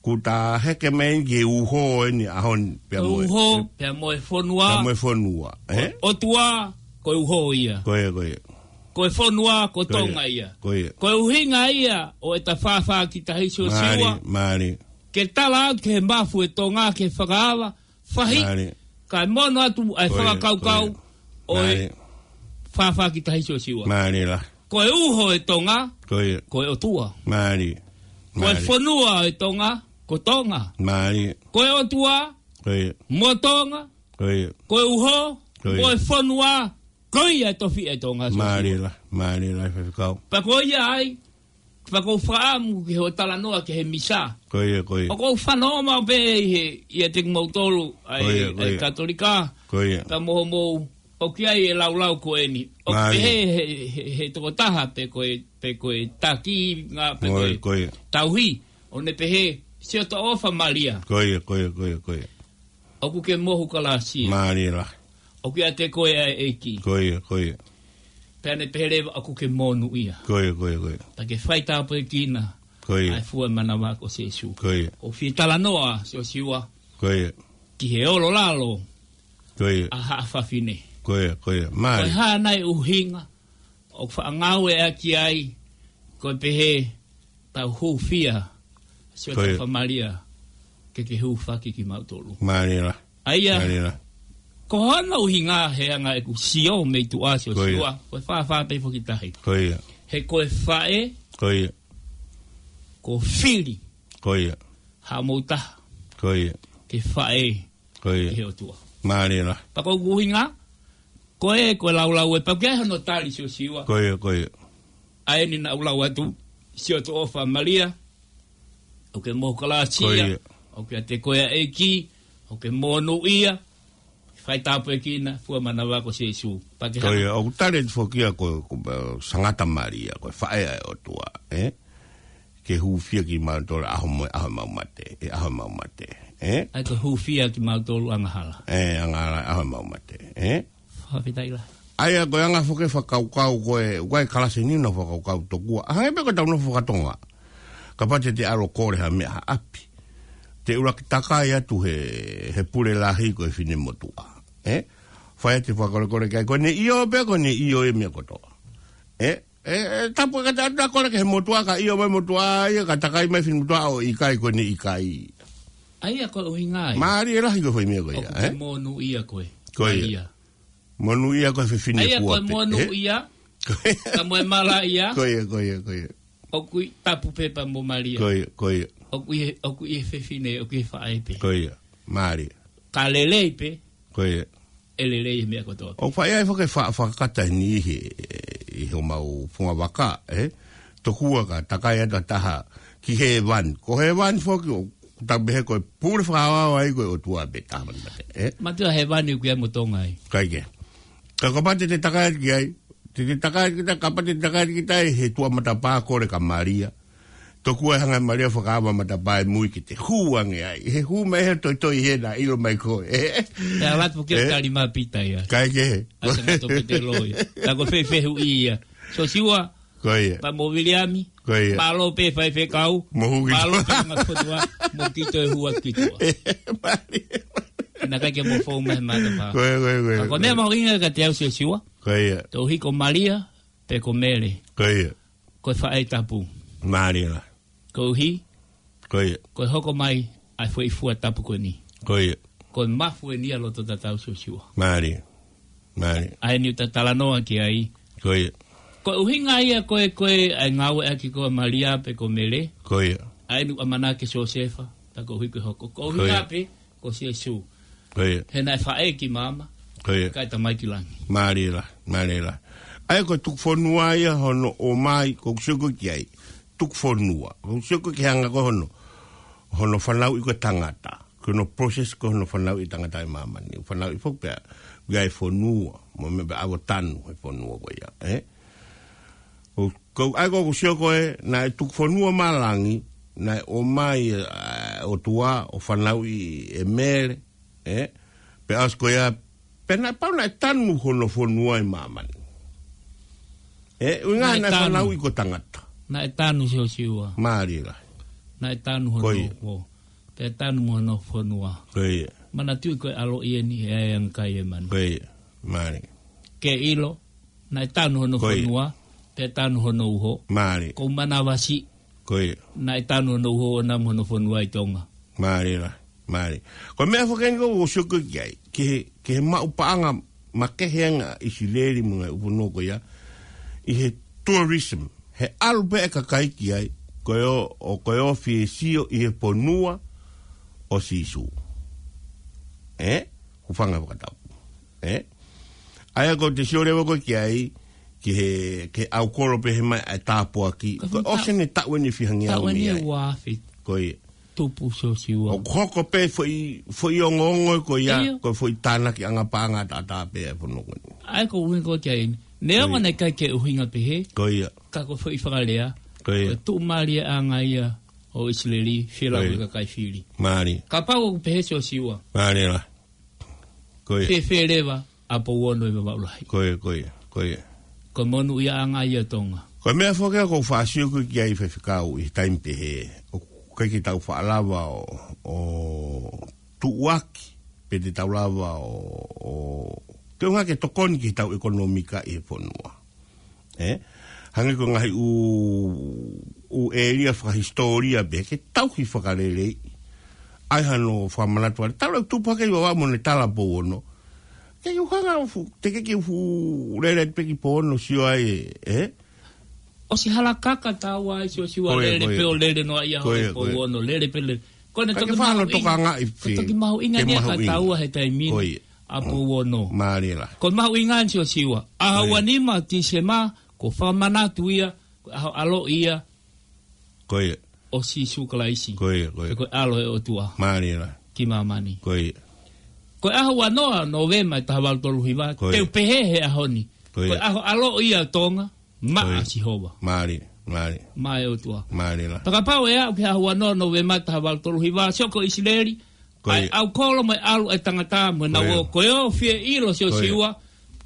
ʻoku ta heke mai eni ki he uho eni ʻaho ni, pea mo e, uho, ē? Pea mo e fonua. Pea mo e fonua, ē? ʻOtua, ko e uho ia. Ko ia, ko ia. Ko e fonua, ko Tonga ia. Ko ia. Ko e ʻuhinga ia ʻo ʻeta fāfā ki tahi, Siosiua. Mālie, mālie. Ke tala atu ki he mafu ʻo Tonga, ke fakaava, fahi, mālie, kae mono atu ʻa e, ko ia, fakakaukau, ko ia, ʻo e, mālie, fāfā ki tahi, Siosiua. Mālie lahi. Ko e uho ʻo Tonga, ko ia, ko e ʻOtua. Mālie. Ko e, mālie, fonua ʻo Tonga, ko Tonga. Mālie. Ko e ʻOtua, ko ia, mo Tonga. Ko ia. Ko e uho, ko ia, mo e fonua, ko ia e tofiʻa ʻo Tonga, Siosiua. Mālie lahi, mālie lahi, faifekau. Pea ko ia ai, pea ʻoku ou fakaʻamu ki hoʻo talanoa ki he misa. Ko ia, ko ia. ʻOku ou fanongo maʻu pē ʻi he, ʻiate kimoutolu, ʻa e, ko ia, ko ia, ʻa e Katolika. Ko ia. Ka mo homou, ʻoku ʻi ai e laulau ko eni. ʻOku, mālie, pehē he, he, he tokotaha pe ko e, pe ko e taki, ngā pe ko e, ko ia, tauhi. ʻO ne pehē, Siʻoto ʻofa Malia. Ko ia, ko ia, ko ia, ko ia. ʻOku ke mohu kalāsia. Mālie lahi. ʻOku ʻiate koe ʻa e ʻEiki. Ko ia, ko ia. Pea ne pehē leva ʻoku ke monūʻia. Ko ia, ko ia, ko ia. Pea ke faitāpuekina, ko ia, ʻa e fua manava ko Sīsū. Ko ia. ʻOku ou fie talanoa, Siosiua. Ko ia. Ki he ʻolo lalo, ko ia, ʻa haʻa fafine. Ko ia, ko ia. Mālie. Ko e hā nai ʻuhinga ʻoku faʻa ngāueʻaki ai, ko e pehē, tau hūfia, Siʻoto, ko ia, ʻofa Malia, ke ke hūfaki kimautolu. Mālie lahi. ʻA ia, mālie lahi, ko hono ʻuhinga he anga ʻeku sio mei tuʻa, Siosiua, ko ia, ko e fāfā pē foki tahi. Ko ia. He ko e faʻē, ko ia, ko fili, ko ia, haʻamou taha, ko ia, ke faʻē, ko ia, ʻi he ʻOtua. Mālie lahi. Pea ko ʻeku ʻuhinga, ko e, ko e laulau ē, pea ʻoku ʻi ai hono tali, Siosiua. Ko ia, ko ia. ʻA eni naʻa ku lau atu, Siʻoto ʻofa Malia, ʻoku ke mohu kalāsia, ko ia, ʻoku ʻiate koe ʻa e ʻEiki, ʻoku ke monūʻia, faitāpuekina, fua manava ko Sīsū. Pea ke, ko ia, hanga, ʻoku tali atu foki ia ko, ko, ʻa Sangata Malia, ko e faʻē ʻa e ʻOtua, ē? Ke hūfia kimautolu ʻaho mo e ʻaho ʻemau mate, ʻi he ʻaho ʻemau mate, ē? ʻA ia ko e hūfia kimautolu angahala. Ē, angahala ʻaho ʻemau mate, ē? Fakafetaʻi lahi. ʻA ia ko e anga foki e fakakaukau ko ē, ʻoku ʻi ai e kalasi ni naʻa ku fakakaukau tokua. ʻA, hangē pē ko ʻetau nofo faka-Tonga. Kapau te te ʻalu ʻo kole ha meʻa ha ʻapi, te ʻuluaki takai atu he, he pule lahi ko e finemotuʻa, ē? Fai atu e fakakolekole ki ai, ko ʻene ʻio pē, ko ʻene ʻio e meʻa kotoa. Ē? ʻE, ʻe tapu ka te ʻalu ʻo kole ki he motuʻa, ka ʻio mai e motuʻa ia, ka takai mai e finemotuʻa ʻo ʻikai, ko ʻene ʻikai. ʻA ia ko e ʻuhinga ia. Mālie lahi ko e foʻi meʻa ko ia, ē? ʻOku ke monūʻia koe. Ko ia. Malia. Monūʻia koe fefine kuo pē, ē? ʻA ia ko e monūʻia, ka mo e malaʻia. Ko ia, ko ia, ko ia. ʻOku ʻi ai e tapu pē pea mo Malia. Ko ia, ko ia. ʻOku ʻi ai, ʻoku ʻi ai e fefine, ʻoku ʻi ai e faʻē pē. Ko ia. Mālie. Ka lelei pē. Ko ia. ʻE lelei e meʻa kotoa. ʻOku faʻa ʻi ai foki e fa-, fakakata ni ʻi he, ʻi homau fungavaka, ē? Tokua ka takai atu ha taha ki hēvani. Ko hēvani foki ʻoku tau pehē ko e pule fakaʻaoʻao ai ko e ʻOtua pē, taha mate, ē? Mate ʻa hēvani ʻoku ʻi ai mo Tonga ai. ʻIkai ke. Ka kapau te te takai atu ki ai, te te takai atu kita, kapau te te takai atu kita ʻi he tuʻa matapā kole kia Malia. Tokua e hanga Malia fakaava matapā e mui ki te hū ange ai. He hū mai he toitoi he na ilo mai koe. E ala atu ke tali mā Pita ia. Kae kehe. Asa na to Pita loi. Ta ko fefehu ia. Sosiua. Ko ia. Pa mo Viliami. Ko ia. Mālō pē faifekau. Mo hū ki tua. Mālō pē ngā fotua. Mo ki toe hua ki tua. Malia. Na kai ke mo fou mai matapā. Ko ia, ko ia, ko ia. Ka ko e meʻa mahuʻinga ka te au Sosiua. Ko ia. Tau hiko Malia, pe ko Mele. Ko ia. Ko e faʻē tapu. Malia. Koeʻuhi. Ko ia. Ko e hoko mai, ʻa e foʻi fua tapu ko eni. Ko ia. Ko e mafu eni ʻa loto tatau Sosiua. Malia. Malia. ʻA eni ʻoku ta talanoa ki ai. Ko ia. Ko e ʻuhinga ia ko e, ko e, ʻa e ngāueʻaki ko Malia pe ko Mele. Ko ia. ʻA eni ʻoku ʻamanaki Siosefa, ta koeʻuhi ko e hoko. Ko e ʻuhinga pē, ko Siesu. Ko ia. He naʻe faʻē ki māmani. Ko ia. Kae tamai ki langi. Malia, Malia. ʻA ia ko e tuku fonua ia hono ʻomai, ko e sio ko ē ki ai. Tuku fonua. Ko e sio ko ē ki he anga ko ē hono, hono fanauʻi ko ē tangata. Ko hono process ko ē hono fanauʻi tangata ʻi māmani. Fanauʻi foki pea, ʻi ai fonua. Mo e meʻa pea ʻave ʻo tanu he fonua ko ia. Eh? ʻO, ko, ʻa ia ko e sio ko ē, naʻe tuku fonua mā langi, naʻe ʻomai, ʻa, ʻOtua, ʻo fanauʻi ʻe Mele, eh? Pea ʻosi ko ia, pea naʻe pau naʻe tanu hono fonua ʻi māmani. Eh, ʻuhinga naʻe naʻe tanu. Fanauʻi ko e tangata. Naʻe tanu Sosiua. Malia. Naʻe tanu hono fonua. Ko ia. Pea tanu mo hono fonua. Ko ia. Manatuʻi ko e ʻaloʻi eni he ʻai ange kai e manu. Ko ia. Malia. Ke ʻilo, naʻe tanu hono fonua, pea tanu hono uho. Malia. Ko Manavasi. Ko ia. Naʻe tanu hono uho ʻoʻona mo hono fonua ʻi Tonga. Malia, malia. Ko e meʻa foki eni ko ē ʻoku ou sio ko ē ki ai. Ki he, ki he maʻu paʻanga makehe ange ʻa ʻIsileli mo e ngaahi ʻū fonua ko ia. ʻI he tourism. He ʻalu pē e kakai ki ai. Ko e ō, ʻo ko e ō ʻo fie sio ʻi he fonua ʻo Sīsū. Eh? Hūfanga he fakatapu. Eh? ʻA ia ko e te sio leva ko ē ki ai, ki he, ki he ʻaukolo pehē mai ʻa e tāpuaki. Ko e ʻosi eni e taʻu eni fiha ngeau mei ai. Taʻu eni ua afe. Ko ia. Tupu Sosiua. ʻOku hoko pē foʻi, foʻi ongoongo ko ia, ʻio. Ko e foʻi tānaki ʻanga paʻanga ʻataʻatā pē ʻa e fonua ko eni. ʻA ia ko e ʻuhinga ko ē ki ai. Neongo naʻe ʻikai ke ʻuhinga pehē. Ko ia. Ka ko e foʻi fakalea. Ko ia. Ko e tuʻumālieʻanga ia ʻo ʻIsileli, fila ko ia. Ko e kakai fili. Malia. Kapau ʻoku pehē Sosiua. Malia. Ko ia. Fēfē leva ʻa Pouono ʻi Vavaʻu Lahi. Ko ia, ko ia, ko ia. Ko e monūʻiaʻanga ia ʻo Tonga. Ko e meʻa foki ia ʻoku ou faʻa sio ko ē ki ai faifekau ʻi he taimi pehē. ʻOku ʻikai ke tau faʻa lava ʻo, ʻo tuʻuaki, pe te tau lava ʻo, ʻo, ke ʻuhinga ke tokoni ki heʻetau ʻekonōmika ʻi he fonua. Eh? Hangē ko e ngaahi ʻū, ʻū ʻēlia fakahisitōlia pē, ke tauhi fakaleleiʻi. ʻAi hano fakamanatu ʻa e tala ʻoku tupu hake ʻi Vavaʻu mo ne tala Pouono. Ke ʻuhinga fu, te ke ke fu lele pē ki Pouono sio ai, eh? ʻOsi hala kaka taua ai Sosiua. Ko ia, lele ko ia. Pē ʻo lele noa ia. Ko ia, ko ia. Pouono, lele pē lele. Ko ʻene toki mahuʻinga. Ka ke fano tokangaʻi. Ko e toki mahuʻinga ke eni ia ka mahuʻinga. Taua he taimi ni. Ko ia. ʻA Pouono. Malia. Ko e mahuʻinga eni Sosiua. ʻAho ua nima Tīsema, ko e fakamanatu ia, ko e ʻaho ʻaloʻi ia. Ko ia. ʻO Sīsū Kalaisi. Ko ia, ko ia. Ko e ʻAlo ʻo e ʻOtua. Malia. Ki māmani. Ko ia. Ko e ʻaho ua noa Nōvema ʻi he taha valu tolu hiva, ko ia. Te u pehē he ʻaho ni. Ko ia. Ko e ʻaho ʻaloʻi ia ʻo Tonga. Maʻa Sihova. Malia, malia. Maʻa e ʻOtua. Malia. Pea kapau ʻe aʻu ki he ʻaho ua noa Nōvema taha valu tolu hiva, sio ko ʻIsileli, ko ia. ʻAi ʻaukolo mo e ʻalu e tangata mo e nau ō, ko ia. Ko e ō fie ʻilo Sosiua,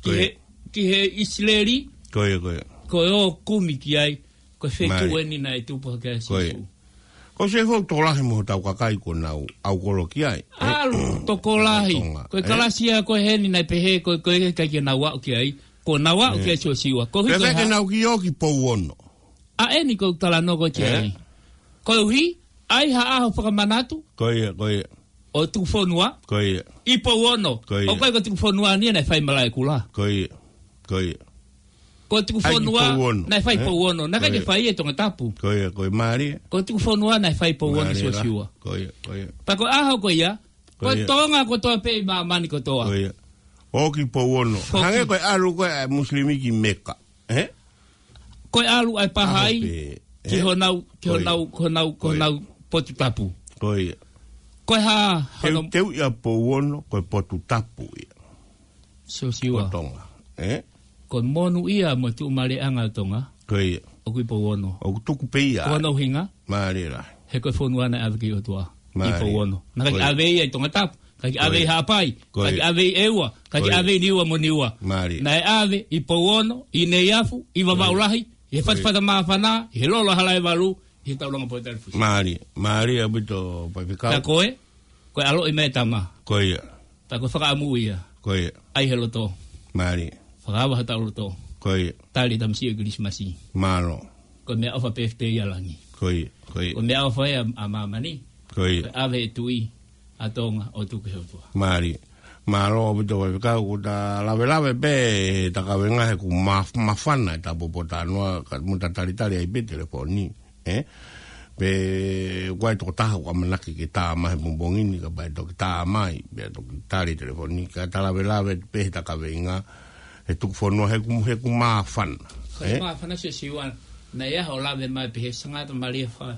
ki he, ki he ʻIsileli, ko ia, ko ia. Ko e ō kumi ki ai, ko e feituʻu eni naʻe tupu hake ai Sīsū. Ko ia. Ko e sefo tokolahi mo hotau kakai kuo nau ʻaukolo ki ai. ʻAlu tokolahi. Tonga, ko e kalasi ia ko eni naʻe pehē, ko, ko e ʻikai ke nau aʻu ki ai. Ko nau aʻu ki ai Sosiua. Ko hiko ke nau ki ō ki Pouono. ʻA eni ko e talanoa ko ē ki ai. Koeʻuhi, ʻai ha ʻaho fakamanatu. Ko ia, ko ia. ʻO tuku fonua. Ko ia. ʻI Pouono. Ko ia. ʻOku ʻikai ko e tuku fonua ni naʻe fai Malaʻekula. Ko ia. Ko ia. Ko e tuku fonua naʻe fai Pouono. Naʻe ʻikai ke fai ʻi Tongatapu. Ko ia, ko ia malia. Ko e tuku fonua naʻe fai Pouono Sosiua. Ko ia, ko ia. Pea ko e ʻaho ko ia. Ko e Tonga kotoa pē ʻi māmani kotoa. Ko ia. ʻO ki Pouono. Hangē ko e ʻalu ko ē ʻa e Musilimi ki Meka. Eh? Ko e ʻalu ʻa e Pahai, ki honau, ki honau, ki honau, ki honau potu tapu. Ko ia. Ko e hā, teu, teu ia Pouono, ko e potu tapu ia. Sosiua. Ko Tonga. Eh? Ko e monūʻia mo e tuʻumālieʻanga ʻo Tonga. Ko ia. ʻOku ʻi Pouono. ʻOku tuku pē ia. Ko hono ʻuhinga. Mālie lahi. He ko e fonua naʻe ʻave ki he ʻOtua. Mālie. ʻI Pouono. Naʻe ʻikai ke ʻave ia ʻi Tongatapu. ʻIkai ke ʻave ʻi Haʻapai. ʻIkai ke ʻave ʻi ʻEua. ʻIkai ke ʻave ʻi Niua mo Niua. Mālie. Naʻe ʻave ʻi Pouono, ʻi Neiafu, ʻi Vavaʻu Lahi, ʻi he Fatafata Māfana, ʻi he Lolo Halaevalu, ʻi he taulanga Poitalifusi. Mālie. Mālie ʻaupito Faifekau. Ka ko e, ko e ʻaloʻi mai e tama. Ko ia. Pea ko e fakaʻamu ia. Ko ia. ʻAi he loto. Mālie. Fakaava ha tau loto. Ko ia. Tali tamasiʻi ʻo Kilisimasi. Mālō. Ko e meʻaʻofa pē ʻa e langi. Ko ia. Ko ia. Ko e meʻaʻofa ia ʻa māmani. Ko ia. Ko e ʻave e tui ʻa Tonga ʻo tuku ki he ʻOtua. Mālie. Mālō ʻaupito Faifekau, kuo ta lavelave pē he takavenga he kuo maf-, mafana e tāpuakiʻi talanoa ka mo ta talitali ai pē telefoni. ʻE? Pea ʻoku ʻi ai e tokotaha ʻoku ʻamanaki ke tā mai he pongipongi ni, kapau ʻe toki tā mai, pea toki tali telefoni, ka ta lavelave pē he takavenga, he tuku fonua, he kuo, he kuo mafana. Ko e mafana Siosiua, naʻe ʻi ai hoʻo lave mai pē he Sangata Malia Fa-,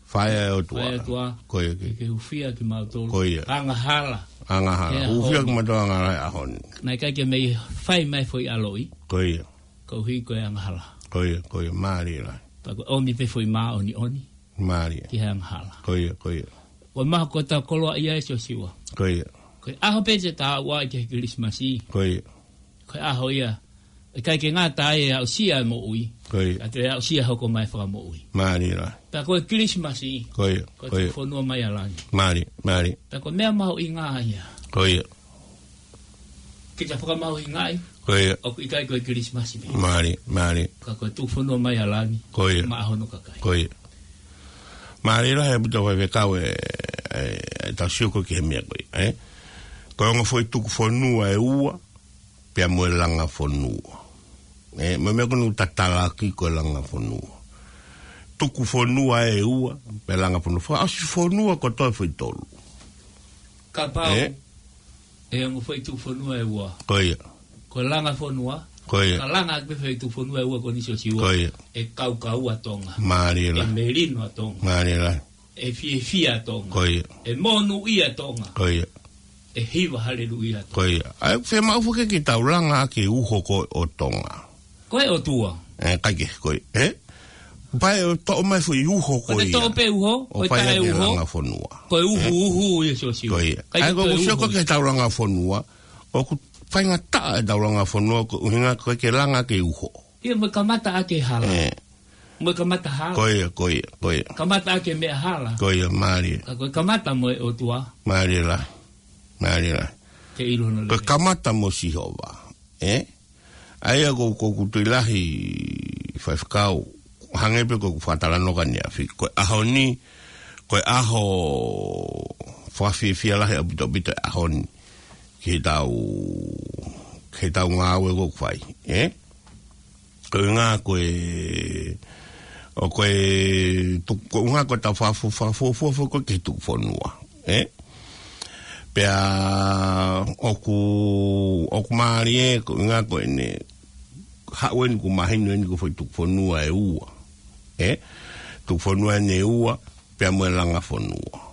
Faʻē ʻo e ʻOtua. Faʻē ʻo e ʻOtua. Ko ia. Ke, ke hūfia kimautolu. Ko ia. Angahala. Angahala. Hūfia kimautolu angahala he ʻaho ni. Naʻe ʻikai ke mei fai mai foʻi ʻaloʻi. Ko ia. Koeʻuhi ko e angahala. Ko ia, ko ia, mālie lahi. Pea ko e ʻomi pē foʻi māʻoniʻoni. Mālie. Ki he angahala. Ko ia, ko ia. Ko e maha ko e tau koloa ia ʻe Siosiua. Ko ia. Ko e ʻaho pē te ta ʻalu ai ki he Kilisimasi. Ko ia. Ko e ʻaho ia. ʻIkai ke ngata ai e aʻusia e moʻui. Ko ia. Ka te aʻusia hoko mai fakamoʻui. Mālie lahi. Pea ko e Kilisimasi. Ko ia, ko e tuku fonua mai ʻa langi. Mālie, mālie. Pea ko e meʻa mahuʻinga ia. Ko ia. Ke ta fakamahuʻingaʻi. Ko ia. ʻOku ʻikai ko e Kilisimasi pē. Mālie, mālie. Ka ko e tuku fonua mai ʻa langi. Ko ia. Maʻa hono kakai. Ko ia. Mālie lahi ʻaupito Faifekau e, e, e tau sio ko ē ki he meʻa ko ia, ʻe? Ko e ongo foʻi tuku fonua ʻe ua, pea mo e langa fonua. ʻE, mo e meʻa ko eni ʻoku ta talaki ko e langa fonua. Tuku fonua ʻe ua, pea langa fonua. Fakaʻosi fonua kotoa foʻi tolu. Kapau. ʻE? ʻE ongo foʻi tuku fonua ʻe ua. Ko ia. Ko e langa fonua. Ko ia. Ka langa ʻaki pē foʻi tuku fonua ʻe ua ko eni Siosiua. Ko ia. ʻE kaukaua ʻa Tonga. Mālie lahi. ʻE melino ʻa Tonga. Mālie lahi. ʻE fiefia ʻa Tonga. Ko ia. ʻE monūʻia ʻa Tonga. Ko ia. ʻE hiva haleluia ʻa Tonga. Ko ia. ʻA ia, fiemaʻu foki ke tau langa ʻaki e uho ko ē ʻo Tonga. Ko e ʻOtua. ʻE, ʻikai ke, ko e, ʻe? Pea ʻe toʻo mai foʻi uho ko ia. Ko e toʻo pē uho, ʻo ko e fai taʻe ʻaki e uho. Langa fonua. Ko e uhu, ʻE? Uhu ia Siosiua. Ko ia. ʻIkai ʻA ia ko e ko e uhu sio ko ē ki he tau langa fonua, ʻoku faingataʻa e tau langa fonua, ko e ʻuhinga ko e ke langa ʻaki e uho. Ia mo e kamata ʻaki e hala. ʻE. Mo e kamata hala. Ko ia, ko ia, ko ia. Kamata ʻaki e meʻa hala. Ko ia, mālie. Ka ko e kamata mo e ʻOtua. Mālie lahi. Mālie lahi. Ke ʻilo hono lelei. Ko e kamata mo Sihova. ʻE? ʻA ia ko, ko ʻeku tui lahi Faifekau, hangē pē ko ʻeku fakatalanoa ko eni ʻaneafi. Ko e ʻaho ni, ko e ʻaho fakafiefia lahi ʻaupito ʻaupito e ʻaho ni. Ki he tau, ki he tau ngāue ko ē ʻoku fai. ʻE? Ko e ʻuhinga ko e, ʻo ko e, tu-, ko e ʻuhinga ko e tau fakafu-, fakafuofua foki ko ē ki he tuku fonua. ʻE? Pea ʻoku, ʻoku mālie, ko e ʻuhinga ko eni, haʻu eni kuo mahino eni ko e foʻi tuku fonua ʻe ua. ʻE? Tuku fonua eni ʻe ua, pea mo e langa fonua.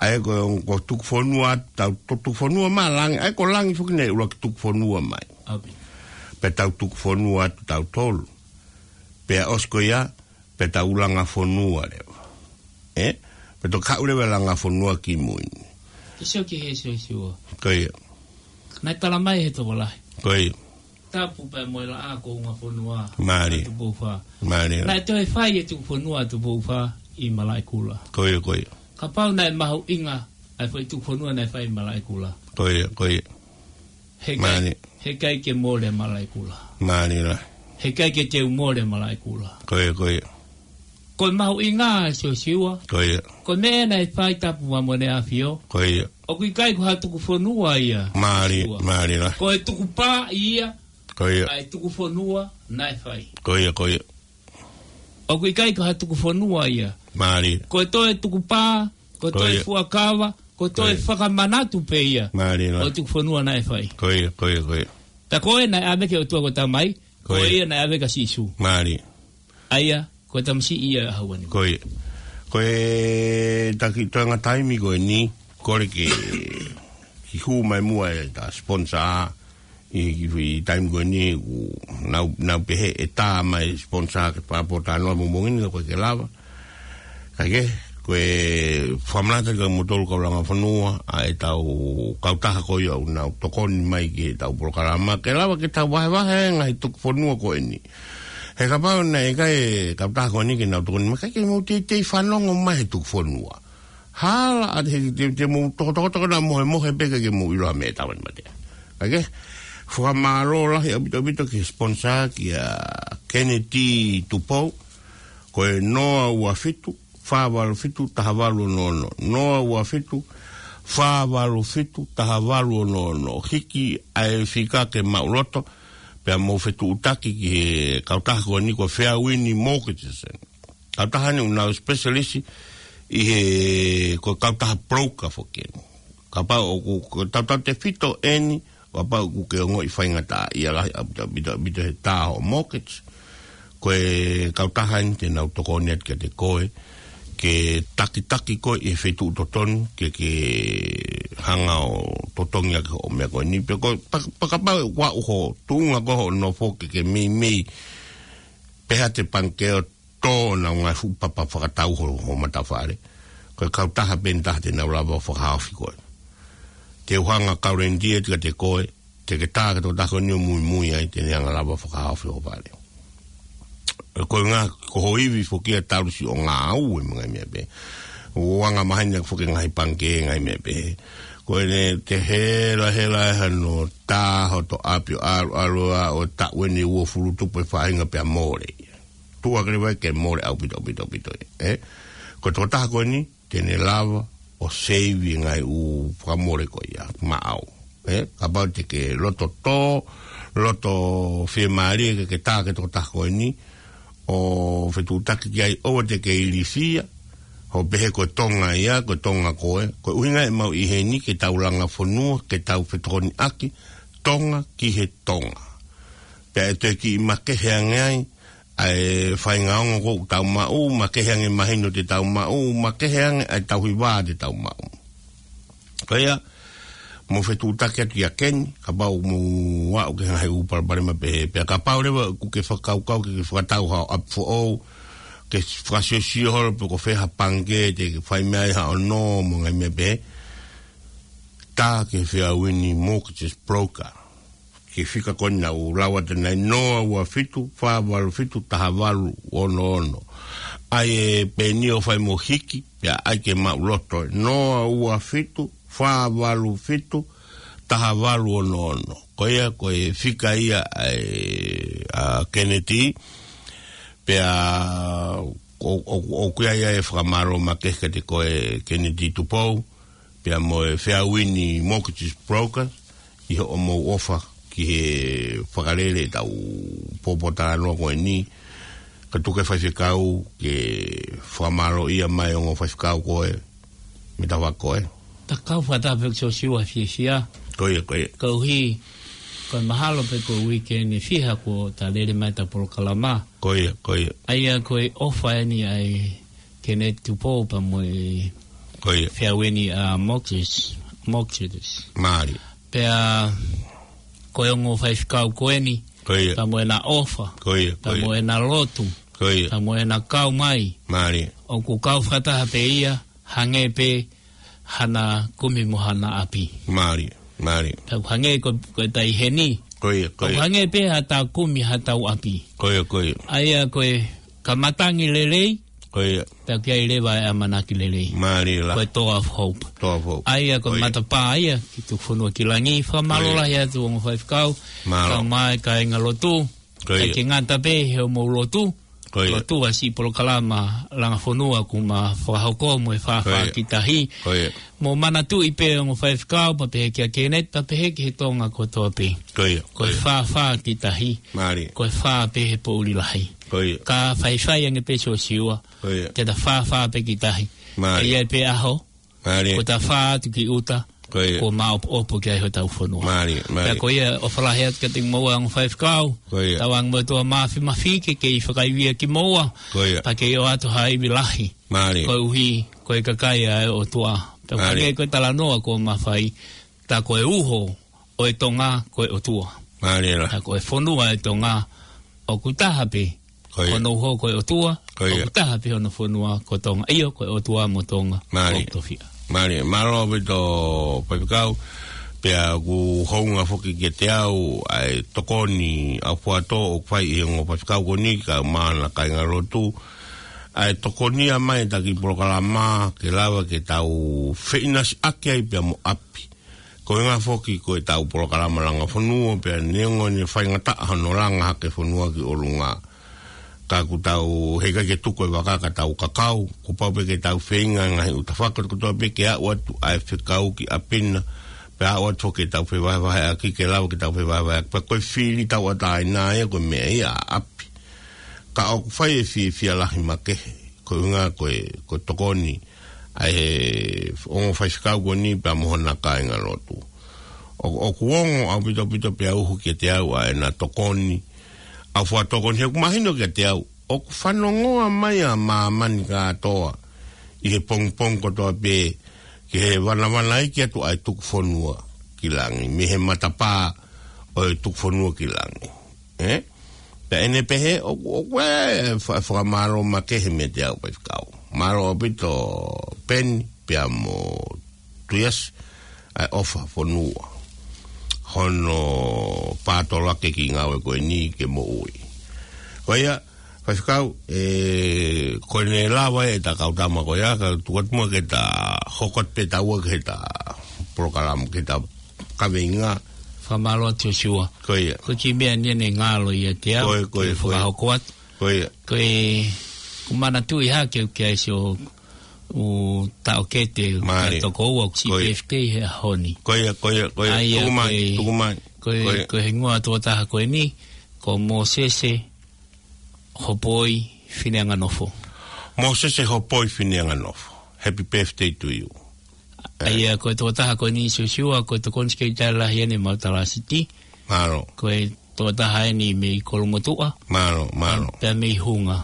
ʻA ia ko e, ko e tuku fonua, tau, to tuku fonua mai ʻa langi, ʻa ia ko langi foki naʻe ʻuluaki tuku fonua mai. ʻAupito. Pea tau tuku fonua atu tautolu. Pea ʻosi ko ia, pea tau langa fonua leva. ʻE? Pea toki haʻu leva e langa fonua ki mui ni. Ke sio ki he Siosiua. Ko ia. Naʻe tala mai he tokolahi. Ko ia. Tapu pea mo e laʻā ko Ungafonua. Mālie. ʻA Tupou Fā. Mālie. Naʻe toe fai e tuku fonua ʻa Tupou Fā ʻi Malaʻekula. Ko ia, ko ia. Kapau naʻe mahuʻinga ʻa e foʻi tuku fonua naʻe fai ʻi Malaʻekula. Ko ia, ko ia. He ʻikai, Mālie. He ʻikai ke mole Malaʻekula. Mālie lahi. He ʻikai ke teu mole Malaʻekula. Ko ia, ko ia. Ko e mahuʻinga Siosiua. Ko ia. Ko e meʻa naʻe fai Tapu mo ʻEne ʻAfio. Ko ia. ʻOku ʻikai ko ha tuku fonua ia. Mālie, Siosiua. Mālie lahi. Ko e tuku pā ia. Ko ia. ʻA e tuku fonua naʻe fai. Ko ia, ko ia. ʻOku ʻikai ko ha tuku fonua ia. Mālie. Ko e toe tuku pā, ko e Ko toe ia. fuakava, ko e toe Ko ia. fakamanatu pē ia. Mālie lahi. ʻO e tuku fonua naʻe fai. Ko ia, ko ia, ko ia. Pea ko ē naʻe ʻave ki he ʻOtua ko e Tamai, ko Ko ia. ia naʻe ʻave kia Sīsū. Mālie. ʻA ia, ko e tamasiʻi ia ʻa Hauani. Ko ia. Ko e taki toenga taimi ko eni, kole ke ki hū mai muʻa e ta sponsor, ʻi, ʻi, ʻi taimi ko eni, ʻoku nau, nau pehē ʻe tā mai sponsor ke pāpō talanoa mo mongini ka ko e ke lava. Kae kehe, ko e fakamanatu atu kia moutolu kau langa fonua, ʻa e tau kautaha ko ia ʻoku nau tokoni mai ki he tau polokalama, ke lava ke tau vahevahe ngaahi tuku fonua ko eni. He kapau naʻe ʻikai e kautaha ko eni ke nau tokoni mai, ʻikai ke mou teitei fanongo mai he tuku fonua. Hala ʻa te, te, te mou tokotoko na mohemohe pē kae ʻikai ke mou ʻilo ha meʻa ʻe taha ni mate. Kae kehe, fakamālō lahi ʻaupito ʻaupito ki he sponsor kia Kennedy Tupou, ko e noa ua fitu, fā valu fitu, taha valu ono ono. Noa ua fitu, fā valu fitu, taha valu ono ono. Hiki ʻa e fika ke maʻuloto, pea mou fetuʻutaki ki he kautaha ko eni ko e Fairwind Mortgages. Kautaha ni ʻoku nau specialist ʻi he, ko e kautaha broker foki eni. Kapau ʻoku, ko e tautautefito eni, kapau ʻoku ke ongoʻi faingataʻaʻia lahi ʻaupito, ʻaupito, ʻaupito he tā hoʻo mortgage. Ko e kautaha eni te nau tokoni atu kiate koe, ke takitaki koe ʻi he feituʻu totonu, ke, ke hanga ʻo totongi ʻaki hoʻo meʻa ko eni. Pea ko e pa-, pa-, kapau ʻoku ʻi ai hoʻo tuʻunga ko hoʻo nofo ke, ke meimei pehē ʻe he pangikē ʻo tō ʻenau ngaahi fuʻu papa fakatau ho, ho matafale. Ko e kautaha pē eni taha te nau lava ʻo fakahaofi koe. Te u hanga ʻo guarantee atu kiate koe, te ke tā ki he tokotaha ko eni ʻo muimui ai, te ne hanga ʻo lava ʻo fakahaofi ho fale. Ko e ngaahi, ko ho ivi foki ia talu siʻo ngāue mo e ngaahi meʻa pehē. ʻOku anga maheni ʻaki foki e ngaahi pangikē ngaahi meʻa pehē. Ko ʻene te hela hela ʻe hano tā hoto ʻapi ʻo ʻalu ʻalu ʻo taʻu eni ʻe uofulu tupu e faʻahinga pea mole. Tuʻu hake leva ke mole ʻaupito, ʻaupito, ʻaupito, ē? Ko e tokotaha ko eni, te ne lava ʻo save e ngaahi ʻū fakamole ko ia, maʻau. Ē? Kapau te ke loto tō, loto fiemālie ke, ke tā ki he tokotaha ko eni, ʻo fetuʻutaki ki ai ʻoua te ke ilifia, ʻo pehē ko e Tonga ia, ko e Tonga koe, ko e ʻuhinga ʻemau ʻi heni ke tau langa fonua, ke tau fetokoniʻaki, Tonga ki he Tonga. Pea ʻe toe kiʻi makehe ange ai, ʻa e faʻahinga ongo ʻoku tau maʻu, makehe ange mahino te tau maʻu, makehe ange ʻa e tauhi vā te tau maʻu. Ko ia, mou fetuʻutaki atu kia Keni, kapau mou aʻu ki he ngaahi ʻū palopalema pehē, pea kapau leva ʻoku ke fakakaukau ke, ke fakatau haʻo ʻapi foʻou, ke fakasiosio holo pe ko fē ha pangikē te ke fai mei ai haʻo nō mo e ngaahi meʻa pehē, tā ki he Fairwind Mortgages Broker. Ki he fika ko eni naʻa ku lau atu ʻanenai, noa ua fitu, fā valu fitu, taha valu ono ono. ʻAi e peni ʻo fai mo hiki, pea ʻai ke maʻuloto. Noa ua fitu, fā valu fitu, taha valu ono ono. Ko ia, ko e fika ia ʻa e, ʻa Kennedy, pea ʻo, ʻo, ʻoku ʻi ai ʻa e fakamālō makehe kiate koe Kennedy Tupou, pea mo e Fairwind Mortgages Broker, ʻi hoʻomou ʻofa ki he fakalele ʻetau pōpoaki talanoa ko eni, ka tuku e faifekau ke fakamālōʻia mai ongo faifekau ko e, mita wa ko e. Ta kau fakataha pē Siosiua fiefia. Ko ia, ko ia. Koeʻuhi, ko e mahalo pē ko e uike ni fiha kuo ta lele mai ʻeta polokalama. Ko ia, ko ia. ʻA ia ko e ʻofa eni ʻa e Kennedy Tupou pea mo e Ko ia. Fairwind, ʻa, Mortgages, Mortgages. Mālie. Pea ko e ongo faifekau ko eni, Ko ia. pea mo ʻena ʻofa, Ko ia, ko pea ia. mo ʻena lotu, Ko ia. pea mo ʻena kau mai. Mālie. ʻOku kau fakataha pē ia, hangē pē hana kumi mo hana ʻapi. Mālie, mālie. Pea ʻoku hangē ko, ko e tai heni. Ko ia, ko ʻOku ia. hangē pē haʻatau kumi haʻatau ʻapi. Ko ia, ko ia. ʻA ia ko e ka matangi lelei, Ko ia. pea ʻoku ʻi ai leva e ʻamanaki lelei. Mālie lahi. Ko e Door of Hope. Door of Hope. ʻA ia ko e Ko ia. matapā ia ki tuku fonua ki langi. Fakamālō Ko ia. lahi atu ongo faifekau. Mālō. Kau mai kāinga lotu. Ko ia. ʻIkai ke ngata pē he ʻoku mou lotu. Ko ia. Lotu ʻa siʻi polokalama langa fonua kuo ma fakahoko mo e fāfā Ko ia. ki tahi. Ko ia. Mou manatuʻi pē ongo faifekau pea pehē kia Kennedy pea pehē ki he Tonga kotoa pē. Ko ia. Ko e Ko ia. fāfā ki tahi. Mālie. Ko e fā pē he poʻuli lahi. Ko ia. Ka faifai ange pē Siosiua. Ko ia. Ke ta fāfā pē ki tahi. Mālie. ʻE ʻi ai pē ʻaho. Mālie. Ko ta fā atu ki ʻuta. Ko ia. Kuo maopoopo ki ai hotau fonua. Mālie, mālie. Pea ko ia ʻofa lahi atu kiate kimoua ongo faifekau. Ko ia. Tauange mo e ʻOtua Māfimafi ke kei fakaivia kimoua. Ko ia. Pea kei ʻoatu ha ivi lahi. Mālie. Koeʻuhi, ko e kakai ʻa e ʻOtua. Pea Mālie. hangē ko e talanoa kuo ma fai. Tā ko e uho ʻo e Tonga ko e ʻOtua. Mālie lahi. Tā ko e fonua ʻo e Tonga ʻoku taha pē. Ko ia. Ko hono uho ko e ʻOtua, Ko ia. ʻoku taha pē hono fonua ko Tonga. ʻIo, ko e ʻOtua mo Tonga. Mālie. ʻOku tofiʻa. Mālie, mālō ʻaupito Faifekau, pea ʻoku hounga foki kiate au ʻa e tokoni ʻaufuatō ʻoku fai ʻe he ongo faifekau ko eni kae ʻumaʻā hono kāingalotu. ʻA e tokoni ia mai ʻetau kiʻi polokalama ke lava ke tau feʻinasiʻaki ai pea mo ʻapi. Ko e ʻuhinga foki ko ʻetau polokalama langa fonua pea neongo ʻene faingataʻa hono langa hake fonua ki ʻolunga. Ka ʻoku tau heʻikai ke tuku e vaka ka tau kakau, kuo pau pē ke tau feinga ngaahi ʻuta fakakotoa pē ke aʻu atu ʻa e fekau ki ʻapi na, pea aʻu atu foki ke tau fevahevaheʻaki ke lava ke tau fevahevaheʻaki. Pea ko e fili tauʻatāina ia ko e meʻa ia ʻa ʻapi. Ka ʻoku fai e fiefia lahi makehe, ko e ʻuhinga ko e, ko e tokoni ʻa e ongo faifekau ko eni pea mo hono kāingalotu. ʻO, ʻoku ongo ʻaupito ʻaupito pea uhu kiate au ʻa ʻena tokoni, ʻaufuatō ko eni he ʻoku mahino kiate au, ʻoku fanongoa mai ʻa māmani kātoa ʻi he pongipongi kotoa pē ki he vanavanaiki atu ʻa e tuku fonua ki langi, mei he matapā ʻo e tuku fonua ki langi. Ē? Pea ʻene pehē, ʻoku, ʻoku ʻi ai e fa-, fakamālō makehe meiate au faifekau. Mālō ʻaupito Peni, pea mo Tuiasi, ʻa e ʻofa fonua. Hono pātolo ake e kiʻi ngāue ko eni ke moʻui. Ko ia, faifekau, ē, ko ʻene lava ʻe ta kau tama ko ia, ka tuku atu muʻa ke ta hoko atu pē taua ki heʻeta polokalama, ki heʻeta kaveinga. Fakamālō atu Siosiua. Ko ia. Ko e kiʻi meʻa eni ʻene ngalo ʻiate au, Ko ia, ko ia, ke ko ia. fakahoko atu. Ko ia. Ko e, ʻoku ou manatuʻi hake ʻoku ʻi ai siʻo ʻū taʻokete, Mālie. taʻu toko ua ʻoku siʻi Ko ia. birthday he ʻaho ni. Ko ia, ko ia, ko ia. ʻA ia Tuku mai, ko e, tuku mai. ko e, Ko ia. ko e hingoa ʻo e tokotaha ko eni, ko Mōsese Hopoi Fineanganofo. Mōsese Hopoi Fineanganofo. Happy birthday to you. ʻA ia ko e tokotaha ko eni Siosiua, ko e tokoni sikeitale lahi ʻeni Mautala City. Mālō. Ko e tokotaha ʻeni mei Kolomotuʻa. Mālō, mālō. Pea mei Hunga.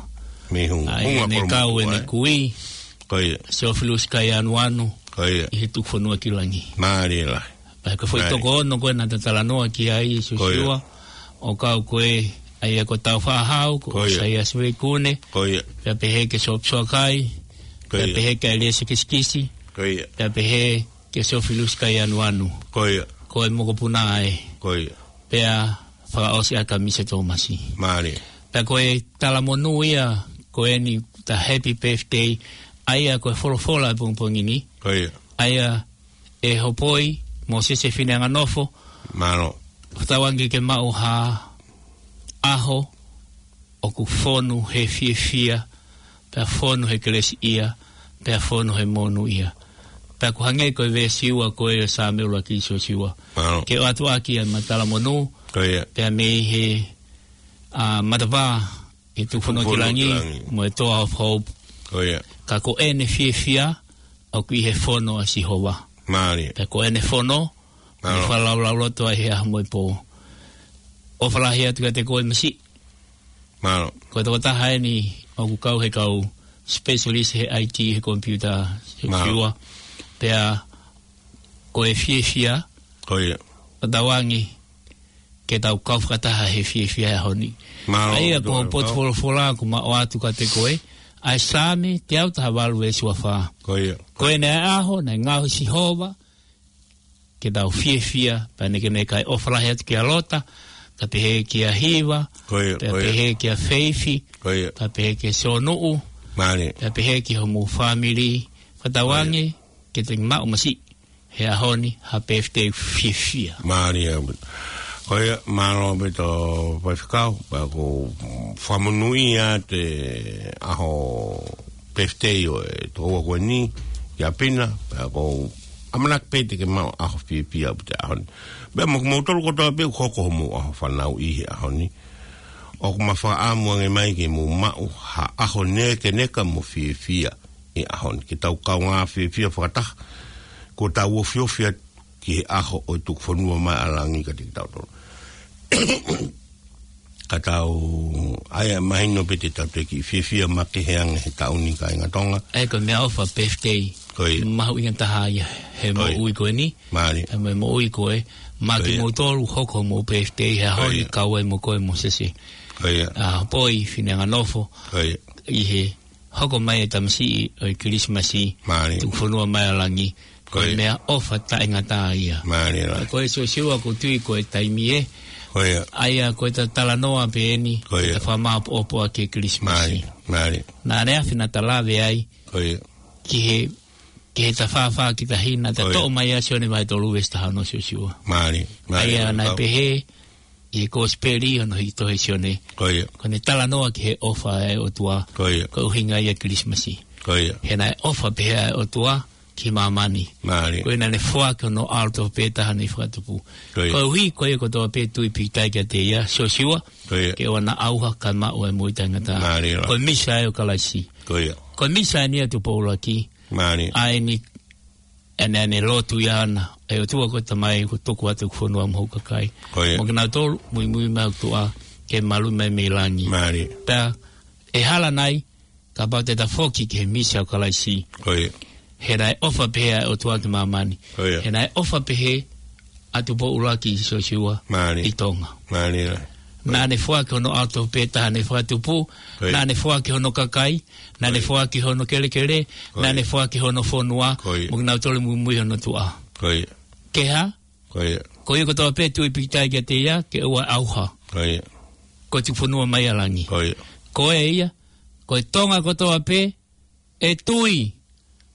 Mei Hunga. ʻA ia Hunga ʻene Kolomotuʻa, kau ʻene ē? kui, Ko ia. Siofilus Kaianuanu, Ko ia. ʻi he tuku fonua ki langi. Mālie lahi. Pea ko e foʻi Mālie. toko ono ko ē naʻa ta talanoa ki ai Ko ia. Siosiua, ʻo kau ko ē, ʻa ia ko Taufaʻahau, ko Ko ia. Saiasi Veikune, Ko ia. pea pehē kia Sopu Soakai, Ko pea ia. pehē kia ʻEliesa Kisikisi, Ko ia. pea pehē kia Siofilus Kaianuanu. Ko ia. Ko e mokopuna ē. Ko ia. Pea fakaʻosi ʻa Kamisa Tōmasi. Mālie. Pea ko e talamonū ia, ko eni ta happy birthday, ʻa ia ko e folofola ʻo e pongipongi ni. Ko ia. ʻA ia ʻe Hopoi, Mōsese Fineanganofo. Mālō. Fakatauange ke maʻu ha ʻaho ʻoku fonu he fiefia, pea fonu he kelesiʻia, pea fonu he monūʻia. Pea ʻoku hangē ko e veesi ua ko ē ʻo e Saame ʻuluaki Siosiua. Mālō. Ke ʻoatu ʻaki ʻa e matala monū, Ko ia. pea mei he, ʻa, matapā, ʻi he tuku fonua ki Tuku fonua ki langi, langi. mo e Toa of Hope. Ko ia. Ka ko ʻene fiefia, ʻoku ʻi he fono ʻa Sihova. Mālie. Pea ko ʻene fono, Mālō. ʻene fakalaulauloto ai he ʻaho mo e pō. ʻOfa lahi atu kiate koe Masi. Mālō. Ko e tokotaha ʻeni ʻoku kau he kau specialist he I T he computer, Mālō. Siosiua. Pea ko e fiefia. Ko ia. Fakatauange ke tau kau fakataha he fiefia he ʻaho ni. Mālō, ʻA ia ko e Tō, potu Tō. folofola ʻoku ma ʻoatu kiate koe, ʻa e Saame teau taha valu veesi ua fā. Ko ia. Ko ʻene ʻaho naʻe ngaohi ʻe Sihova ke tau fiefia, pea nekeneka ʻofa lahi atu kia Lota, kae pehē kia Hiva, Ko ia, pea ko ia. pehē kia Feifi, Ko ia. pea pehē kia Sonuʻu, Mālie. pea pehē ki homou fāmili, fakatauange Ko ia. ke te maʻu Masi he ʻaho ni ha birthday fiefia. Mālie ʻaupito. Ko ia, mālō ʻaupito faifekau, pea ʻoku ou fakamonūʻia atu e ʻaho birthday ʻo e tokoua ko eni, ʻi ʻapi na, pea ʻoku ou ʻamanaki pē te ke maʻu ʻaho fiefia ʻaupito he ʻaho ni. Pea mo kimoutolu kotoa pē ʻoku hoko homou ʻaho fanauʻi he ʻaho ni. ʻOku ma fakaʻamu ange mai ke mou maʻu ha ʻaho nekeneka mo fiefia he ʻaho ni. Ke tau kaungā fiefia fakataha. Ko ʻetau ofiofi atu ki he ʻaho ʻo e tuku fonua mai ʻa langi kiate kitautolu. Ka tau, ʻa ia mahino pē te tau toe kiʻi fiefia makehe ange he taʻu ni kāinga Tonga. ʻA ia ko e meʻaʻofa birthday. Ko ia. Mahuʻinga taha ia he Ko ia. moʻui ko eni. Mālie. He mo e moʻui ko ē. Ma Ko ia. kimoutolu hoko homou birthday he ʻaho Ko ni ia. kau ai mo koe Mōsese. Ko ia. ʻA Poi Fineanganofo. Ko ia. ʻI he hoko mai e tamasiʻi ʻo e Kilisimasi. Mālie. Tuku fonua mai ʻa langi. Ko ia. Ko e meʻaʻofa taʻengata ia. Mālie lā. Ko e Siosiua ʻoku ou tui ko e taimi ē. Ko ia. ʻA ia ko e ta talanoa pē eni. Ko ia. Ta fakamāopoopo ʻaki e Kilisimasi. Mālie, mālie. Naʻa ne afi naʻa ta lave ai. Ko ia. Ki he, ki he ta fāfā ki tahi naʻa ta Ko ia. Toʻo mai ʻa Sione vahe tolu veesi taha ono Siosiua. Mālie, mālie. ʻA ia naʻe pehē, ʻi he Kosipeli ʻo hono hiki tohi ʻe Sione. Ko ia. Ko ʻene talanoa ki he ʻofa ʻa e ʻOtua. Ko ia. Ko e ʻuhinga ia e Kilisimasi. Ko ia. He naʻe ʻofa pehē ʻa e ʻOtua ki māmani. Mālie. Ko ia naʻa ne foaki hono ʻAlo tofu pē taha naʻe fakatupu. Ko ia. Koeʻuhi, ko ia kotoa pē tui pīkitai kiate ia, Siosiua, Ko ia. Ke ʻoua naʻa ʻauha kae maʻu ʻa e moʻui taʻengata. Mālie lā. Ko e misa ʻo Kalaisi. Ko ia. Ko e misa eni ʻa Tupou ʻUluaki. Mālie. ʻA eni ʻa ʻene, ʻene lotu ia ʻana, ʻe ʻOtua ko e Tamai, ʻoku tuku atu ʻeku fonua mo hoku kakai. Ko ia. Mo kinautolu, muimui mai ʻoku tuʻa, ke maluʻi mai mei langi. Mālie. Pea, ʻe hala nai, kapau te ta foki ki he misa ʻo Kalaisi. Ko ia. He naʻe ʻofa pehē ʻa e ʻOtua ki māmani. Ko ia. He naʻe ʻofa pehē ʻa Tupou ʻUluaki Siosiua Mālie. ʻI Tonga. Mālie lā. Naʻa ne foaki hono ʻAlo tofu pē taha naʻe fakatupu, Ko ia. Naʻa ne foaki hono kakai, Naʻa ne Ko ia. foaki hono kelekele, Ko ia. Naʻa ne foaki hono fonua, Ko ia. Mo kinautolu muimui hono tuʻa. Ko ia. Ke hā? Ko ia. Ko ia kotoa pē tui pīkitai kiate ia, ke ʻoua ʻauha. Ko ia. Ko e tuku fonua mai ʻa langi. Ko ia. Ko e ia, ko e Tonga kotoa pē, ʻe tui,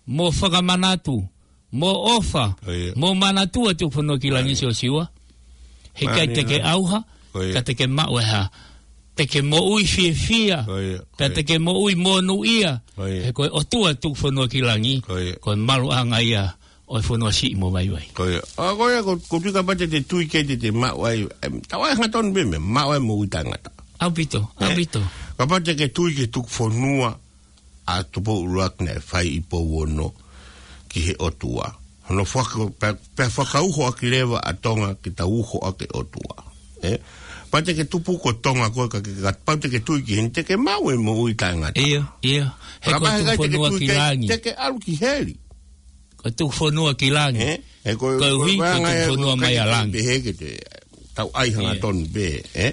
mo fakamanatu, mo ʻofa, Ko ia. Mo manatua tuku fonua ki langi Mālie. Siosiua. He ʻikai Mālie te ke lā. ʻAuha, Ko ia. Ka te ke maʻu ʻe hā. Te ke moʻui fiefia, Ko ia. Ko Pea ia. te ke moʻui monūʻia. Ko ia. He ko e ʻOtua tuku fonua ki langi, Ko ia. Ko e maluʻanga ia ʻo e fonua siʻi mo vaivai. Ko ia. ʻA, ko ia, ko, ko tui kapau te te tui ke te te maʻu ai, em, tau ai hangatonu pē meʻa, maʻu ai moʻui taʻengata. ʻAupito, Eh, ʻaupito. Kapau te ke tui ke tuku fonua ʻa Tupou ʻUluaki naʻe fai ʻi Pouono ki he ʻOtua. Hono faka-, pea, pea fakauho ʻaki leva ʻa Tonga ke tau uho ʻaki ʻOtua. Eh? Pea te ke tupu ko Tonga ko e ka ke, ka, pea te ke tui ki heni te ke maʻu e moʻui taʻengata. ʻIo, ʻio. He Ka ko e pea he tuku kai te ke fonua tui ki kai langi. Te ke ʻalu ki heli. Ko e tuku fonua ki langi. Eh? He ko, Koeʻuhi, ko e ko e anga tuku e fonua ko mai e ʻa langi. Pehē ke te, tau ai Ia. hangatonu pē, eh?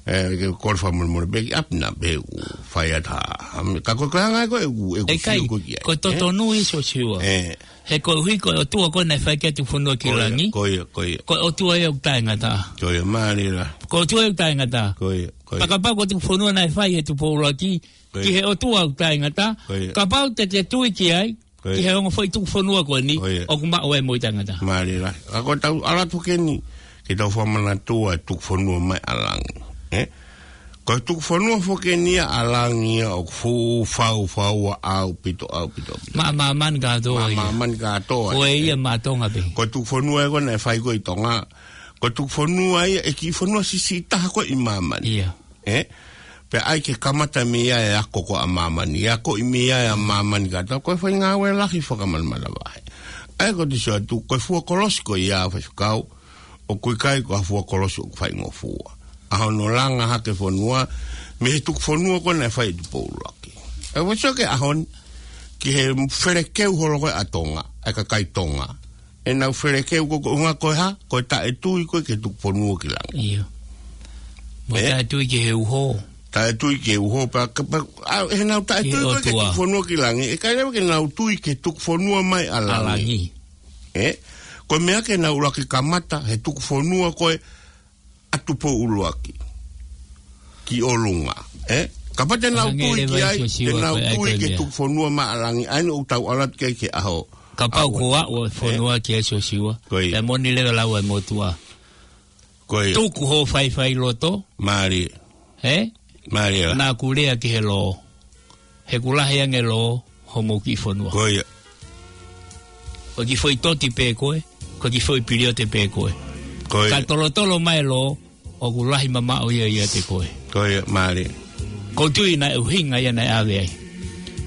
Eh, ke kole fakamolemole pē ki ʻapi na pē ʻoku fai atu ha, ha, ka ko e ko e anga ko e ʻoku, ʻoku ʻIkai, fiu ko ki ai, ko e eh? totonu ia Siosiua. Eh. He koeʻuhi ko e ʻOtua ko ē naʻe fai ki ai e tuku fonua ki Ko ia, langi. ko ia, ko ia. Ko e ʻOtua ia ʻoku taʻengata. Ko ia, mālie lā. Ko e ʻOtua ia ʻoku taʻengata. Ko ia, ko ia. Pea kapau ko e tuku fonua naʻe fai ʻe Tupou ʻUluaki, Ko ia. ki he ʻOtua ʻoku taʻengata. Ko ia. Kapau te te tui ki ai, Ko ia. ki he ongo foʻi tuku fonua ko eni, Ko ia. ʻoku maʻu ai e moʻui taʻengata. Mālie lā. Ka ko e tau ʻalu atu ki heni, ke tau fakamanatua e tuku fonua mai ʻa langi. Eh? Ko e tuku fonua foki eni ia ʻa langi ia ʻoku fuʻu faufaua ʻaupito, ʻaupito, ʻaupito. Maʻa māmani kātoa Maʻa ia. māmani kātoa. Ko e ia maʻa Tonga pē. Ko e tuku fonua ia ko ē naʻe fai ko ē ʻi Tonga. Ko e tuku fonua ia ʻe kiʻi fonua siʻisiʻi taha ko ē ʻi māmani. Ia. Eh? Pea ʻai ke kamata mei ai e ako ko ē ʻa māmani. E ako ʻi mei ai ʻa māmani kātoa. Ko e fai ngāue lahi fakamalamalama vahe. ʻA ia ko e te sio atu, ko e fua kolosi ko ia Faifekau, ʻoku ʻikai ko ha fua kolosi ʻoku faingofua. ʻA hono langa hake fonua, mei he tuku fonua ko ē naʻe fai ʻe Tupou ʻUluaki. ʻE ua sio ki he ʻaho ni, ki he felekeu holo ko ē ʻa Tonga, ʻa e kakai Tonga. ʻEnau felekeu ko ē ko e ʻuhinga ko e hā, ko e taʻetui ko ē ki he tuku fonua ki langi. ʻIo. Mo Eh? taʻetui ki he uho. Taʻetui ki he uho, pea, pea, ʻa, ʻenau taʻetui Ki he ko ē ki he ʻOtua. tuku fonua ki langi, ʻe ʻikai leva ke nau tui ki he tuku fonua mai ʻa ʻA langi. langi. Eh? Ko e meʻa ke nau ʻuluaki kamata, he tuku fonua ko ē ʻa Tupou ʻUluaki. Ki ʻolunga. Eh? Kapau te nau Hangē tui leva ki ai, Siosiua te nau ko e ʻai tui ko e ki he meʻa. tuku fonua mai ʻa langi, ʻa eni ʻoku tau ʻalu atu ki ai ki he ʻaho. Kapau ʻaho. ko e ʻalu e fonua Eh? ki ai Siosiua. Ko ia. Pea moʻoni leva lau e motuʻa. Ko ia. Tuku hoʻo faifai loto. Mālie. Eh? Mālie lā. Naʻa ku lea ki he lō. He ʻoku lahi ange lō, homou kiʻi fonua. Ko ia. Ko e kiʻi foʻi toti pē koe, ko e kiʻi foʻi piliote pē koe. Ko ia. Ka tolotolo mai lō, ʻoku lahi mamaʻo ia ʻiate koe. Ko ia, mālie. ʻOku ou tui naʻe ʻuhinga ia naʻe ʻave ai.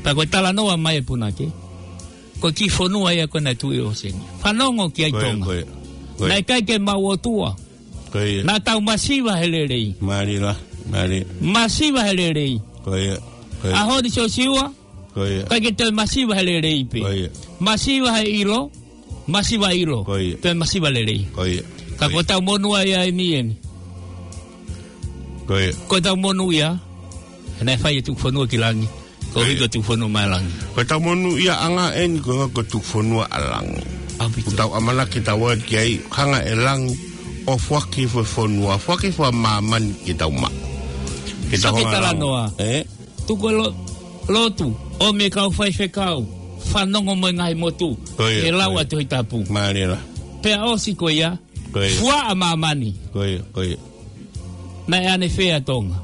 Pea ko e talanoa mai e punake, ko e kiʻi fonua ia ko ē naʻe tuʻu ʻi ʻōseni. Fanongo ki ai Ko ia, Tonga. ko ia. Ko ia. Naʻe ʻikai ke maʻu ʻOtua. Ko ia. Naʻa tau masiva he lelei. Mālie lā, mālie. Masiva he lelei. Ko ia, ko ia. ʻAho ni Siosiua, Ko ia. ʻikai ke toe masiva he lelei pē. Ko ia. Masiva he ʻilo, masiva ʻilo. Ko ia. Toe masiva lelei. Ko ia. Ka Ko ia. ko e tau monū ai ʻeni ʻeni. Ko ia. Ko ʻetau monūʻia, he naʻe fai e tuku fonua ki langi. Ko ia. Ko e tuku fonua mai langi. Ko ʻetau monūʻiaʻanga eni ko e ngaahi ko e tuku fonua ʻa langi. ʻAupito. Kuo tau ʻamanaki tau ʻai ki ai, hanga ʻe langi ʻo foaki fo-, fonua, foaki fo-, māmani ke tau maʻu. Ke tau hanga talanoa. Ē? Tuku e lo-, lotu, ʻo mei he kau faifekau, fanongo mo e ngaahi motu, ko ia, he lau ko ia. ʻA e Tohi Tapu. Mālie lahi. Pea ʻosi ko ia, ko ia. Fua ʻa māmani. Ko ia, ko ia. Naʻe ʻanefē ʻa Tonga.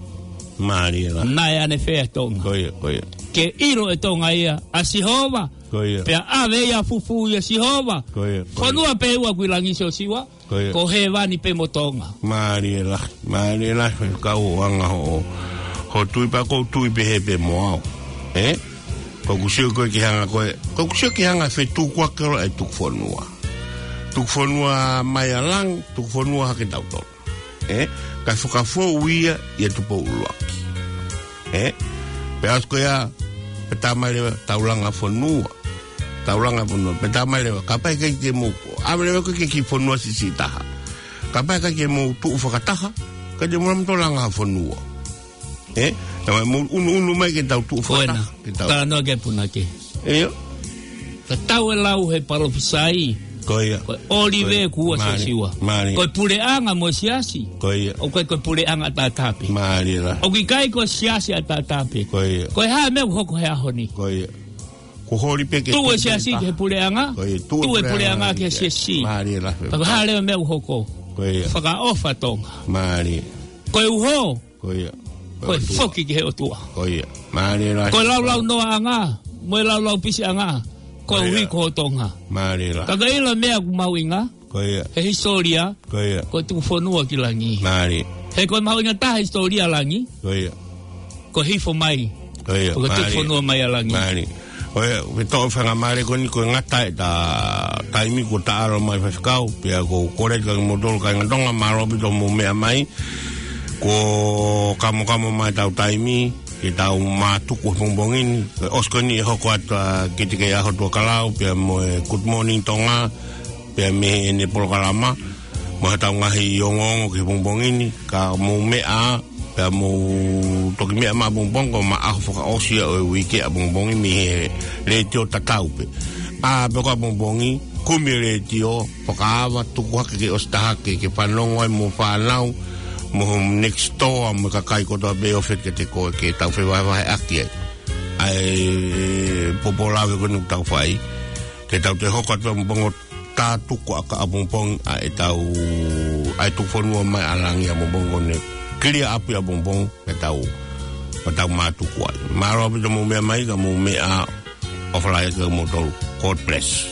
Mālie lahi. Naʻe ʻanefē ʻa Tonga. Ko ia, ko ia. Ke ʻilo ʻe Tonga ia, ʻa Sihova. Ko ia. Pea ʻave ia fufū ʻia Sihova. Ko ia, ko ia. Fonua pē ua ʻoku ʻi langi Siosiua. Ko ia. Ko hēvani pē mo Tonga. Mālie lahi, mālie lahi, faifekau ʻo anga hoʻo, hoʻo tui pea ʻoku ou tui pehē pē mo au. Ē? ʻOku ou sio ko ē ki he anga ko ē, ʻoku ou sio ki he anga fetukuakiʻi ʻa e tuku fonua. Tuku fonua mai ʻa langi, tuku fonua hake tautolu. Ē? Kae fakafou ia ʻia Tupou ʻUluaki. Ē? Pea ʻosi ko ia, pea tā mai leva, tau langa fonua. Tau langa fonua. Pea tā mai leva, kapau ʻe ʻikai ke mou. ʻAve leva ko ē ki he kiʻi fonua siʻisiʻi taha. Kapau ʻe ʻikai ke mou tuʻu fakataha, ʻikai te mou lava ʻo langa fonua. Ē? Tau mou ʻunuʻunu mai ke tau tuʻu fakataha. Ko ena. Ke tau. Talanoa ki ai e punake. ʻIo. Ka tau e lau he palōfisai. Ko ia. Ko e ʻOlive Kuo Siosiua. Mālie. Ko e puleʻanga mo e siasi. Ko ia. ʻOku ʻikai ko e puleʻanga ʻataʻatā pē. Mālie lahi. ʻOku ʻikai ko e siasi ʻataʻatā pē. Ko ia. Ko e hā e meʻa ʻoku hoko he ʻaho ni. Ko ia. Kuo holi pē ke tuʻu e siasi ki he puleʻanga. Ko ia. Tuʻu e puleʻanga ki he siasi. Mālie lahi. Pea ko e hā leva e meʻa ʻoku hoko. Ko ia. Fakaʻofa Tonga. Mālie. Ko e uho. Ko ia. Ko e foki ki he ʻOtua. Ko ia. Mālie lahi. Ko e laulau noaʻanga, mo e laulau pisiʻanga, ko e uhi ko Tonga. Mālie lahi. Ka ko e ʻilo e meʻa ʻoku mahuʻinga. Ko ia. He hisitōlia. Ko ia. Ko e tuku fonua ki langi. Mālie. He ko e mahuʻinga taha e hisitōlia ʻa langi. Ko ia. Ko e hifo mai. Ko ia. Ko e tuku fonua mai ʻa langi. Mālie. Ko ia, ʻoku ou fakamolemole ko eni ko e ngata ʻeta taimi kuo ta ʻalu mai faifekau, pea ʻoku ou kole atu kia kimoutolu kāinga Tonga, mālō ʻaupito hoʻomou meʻa mai, kuo kamokamo mai ʻetau taimi, ke tau mātuku he pongipongi ni, ʻosi ko eni ʻe hoko atu ʻa e Kite Kei ʻAho Tuʻa Kalau, pea mo e Good Morning Tonga, pea mei heʻene polokalama, mo haʻatau ngaahi ongoongo ki he pongipongi ni, ka mou meʻa, pea mou toki meʻa mai ʻapongipongi, ko e ʻaho fakaʻosi ʻo e uike ʻapongipongi mei he letiō tatau pē. ʻA, pea ko ʻapongipongi, kumi e letiō, fakaava, tuku hake ke ʻosi taha ke, ke fanongo ai mo e fānau, mo e next door, mo e kakai kotoa pē ʻoku ʻi fē kiate koe ke tau fevahevaheʻaki ai. ʻA e pōpoaki ko eni ʻoku tau fai. Ke tau toe hoko atu ʻapongipongi tā tuku ʻaki ʻapongipongi ʻa ʻetau, ʻa e tuku fonua mai ʻa langi ʻapongipongi ko eni. Kilia ʻapi ʻapongipongi, ke tau, ke tau mātuku ai. Mālō ʻaupito hoʻomou meʻa mai, ka mou meʻa, ʻofa lahi kia moutolu. God bless.